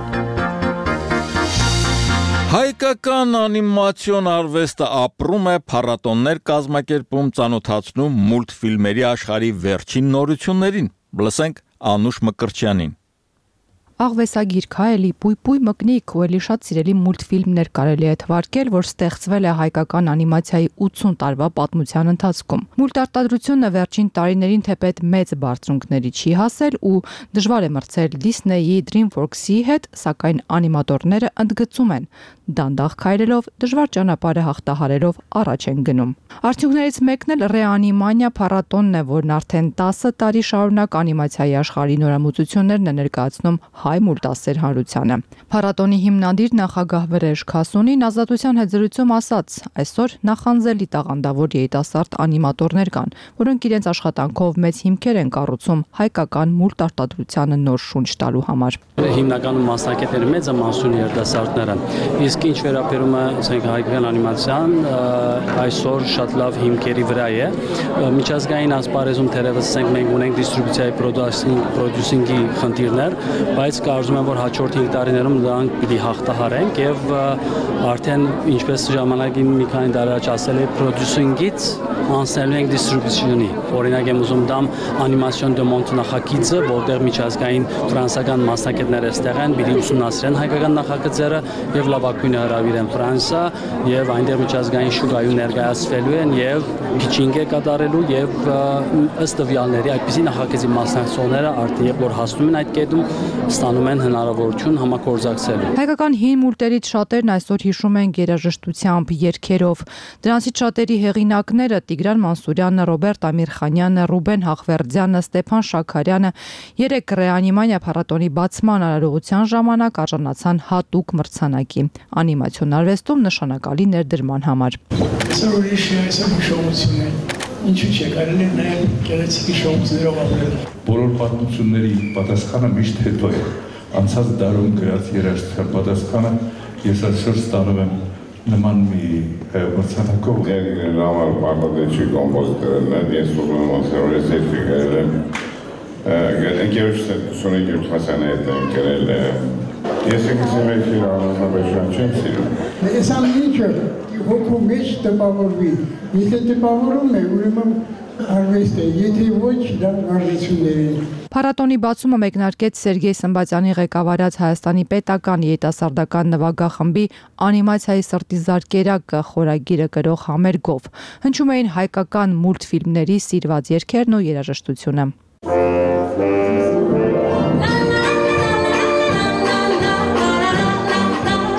Հայկական անիմացիոն արվեստը ապրում է, փառատոններ կազմակերպում, ծանոթացնում մուլտֆիլմերի աշխարհի վերջին նորություններին։ Լսենք Անուշ Մկրտչյանին։ Աղվեսագիր Քայելի Պույպույ մկնիկ ու էլի շատ սիրելի մուլտֆիլմներ կարելի է թվարկել, որ ստեղծվել է հայկական անիմացիայի 80 տարվա պատմության ընթացքում։ Մուլտարտադրությունը վերջին տարիներին թեպետ մեծ բարձունքների չի հասել ու դժվար է մրցել Disney-ի, DreamWorks-ի հետ, սակայն անիմատորները ընդգծում են, դանդաղ քայլելով, դժվար ճանապարհը հաղթահարելով առաջ են գնում։ Արդյունքներից մեկն էլ Ռեանիմանիա փառատոնն է, որն արդեն 10 տարի շարունակ անիմացիայի աշխարհի նորամուծություններն է ներկայացնում հայ մուլտասեր հանրությանը։ Փառատոնի հիմնադիր նախագահ Վրեժ Քասունին Ազատության հետ զրույցում ասաց. այսօր նախանձելի տաղանդավոր երիտասարդ անիմատորներ կան, որոնք իրենց աշխատանքով մեծ հիմքեր են կառուցում հայկական մուլտարտադրությանը նոր շունչ տալու համար։ Հիմնականում մասնակիցները մեծ ամասունի երիտասարդներ են։ Իսկ ինչ վերաբերում է հայկական անիմացիան, այսօր շատ լավ հիմքերի վրա է։ Միջազգային ասպարեզում թերևս մենք ունենք դիստրիբյուցիայի պրոդյուսինգի խնդիրներ, բայց կարծում եմ, որ հաջորդ 5 տարիներում դրանք պիտի հաղթահարենք եւ արդեն ինչպես ժամանակին մի քանի տարի առաջ ասել էի պրոդյուսինգից անցնելու ենք դիստրիբյուցիոնի։ Օրինակ եմ ուզում դամ անիմացիոն դե մոնտ նախագիծը, որտեղ միջազգային ֆրանսիական մասնակիցներ այստեղ են, պիտի ուսումնասիրեն հայկական նախագծերը եւ լավագույնը հրավիրեն Ֆրանսիա եւ այնտեղ միջազգային շուկայում ներկայացվելու են եւ փիչինգ է կատարելու եւ ըստ տվյալների այդպիսի նախագծի մասնակցողները արդեն որ հասնում են այդ կետում ստանում են հնարավորություն համագործակցելու։ Հայկական հին մուլտերից շատերն այսօր հիշում են երաժշտությամբ, երգերով։ Դրանցից շատերի հեղինակները Տիգրան Մանսուրյանը, Ռոբերտ Ամիրխանյանը, Ռուբեն Հախվերդյանը, Ստեփան Շաքարյանը երեք Ռեանիմանիա փառատոնի բացման արարողության ժամանակ արժանացան հատուկ մրցանակի անիմացիոն արվեստում նշանակալի ներդրման համար։ Ինչու՞ չէ կարելի է նայել գեղեցիկ հիշողություններով ապրել։ Բոլոր պատմությունների պատասխանը միշտ հետո է։ Անցած դարում գրած երաժշտության պատասխանը ես այսօր ստանում եմ նման մի մրցանակով։ Երգներն համար պարտադիր կոմպոզիտորն են, ես ուզում եմ ասել, որ ես երգ գրել եմ։ Ընկերոջս 27 մասնային հետ եմ գրել Ես ինքս իմ էքին անձնաբեջան չեմ սիրում։ Ես ամենիչը հոգու մեջ տպավորվի, եթե տպավորում է, ուրեմն արվեստ է, եթե ոչ, դա վարժություններ են։ Փառատոնի բացումը մեկնարկեց Սերգեյ Սմբատյանի ղեկավարած Հայաստանի պետական երիտասարդական նվագախմբի անիմացիայի սրտի զարկերակը խորագիրը կրող համերգով։ Հնչում էին հայկական մուլտֆիլմների սիրված երգերն ու երաժշտությունը։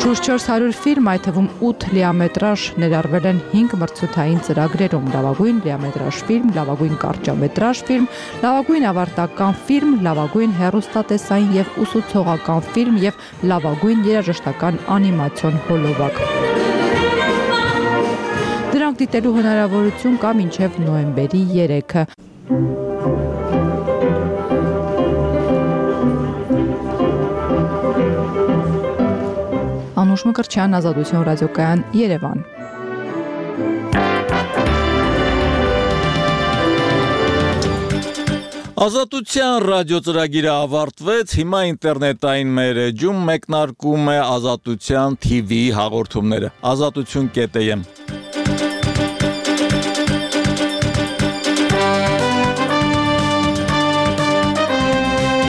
Շուրջ 400 ֆիլմ, այդ թվում 8 լիամետրաժ ներառվել են 5 մրցութային ծրագրերում՝ լավագույն լիամետրաժ ֆիլմ, լավագույն կարճամետրաժ ֆիլմ, լավագույն ավարտական ֆիլմ, լավագույն հեռուստատեսային եւ ուսուցողական ֆիլմ եւ լավագույն երաժշտական անիմացիոն հոլովակ։ Դրանք դիտելու հնարավորություն կա մինչև նոյեմբերի 3-ը։ Անուշ Մկրտչյան, Ազատություն ռադիոկայան, Երևան։ Ազատության ռադիո ծրագիրը ավարտվեց, հիմա ինտերնետային մեր էջում մեկնարկում է Ազատության TV հաղորդումները, azatutun.am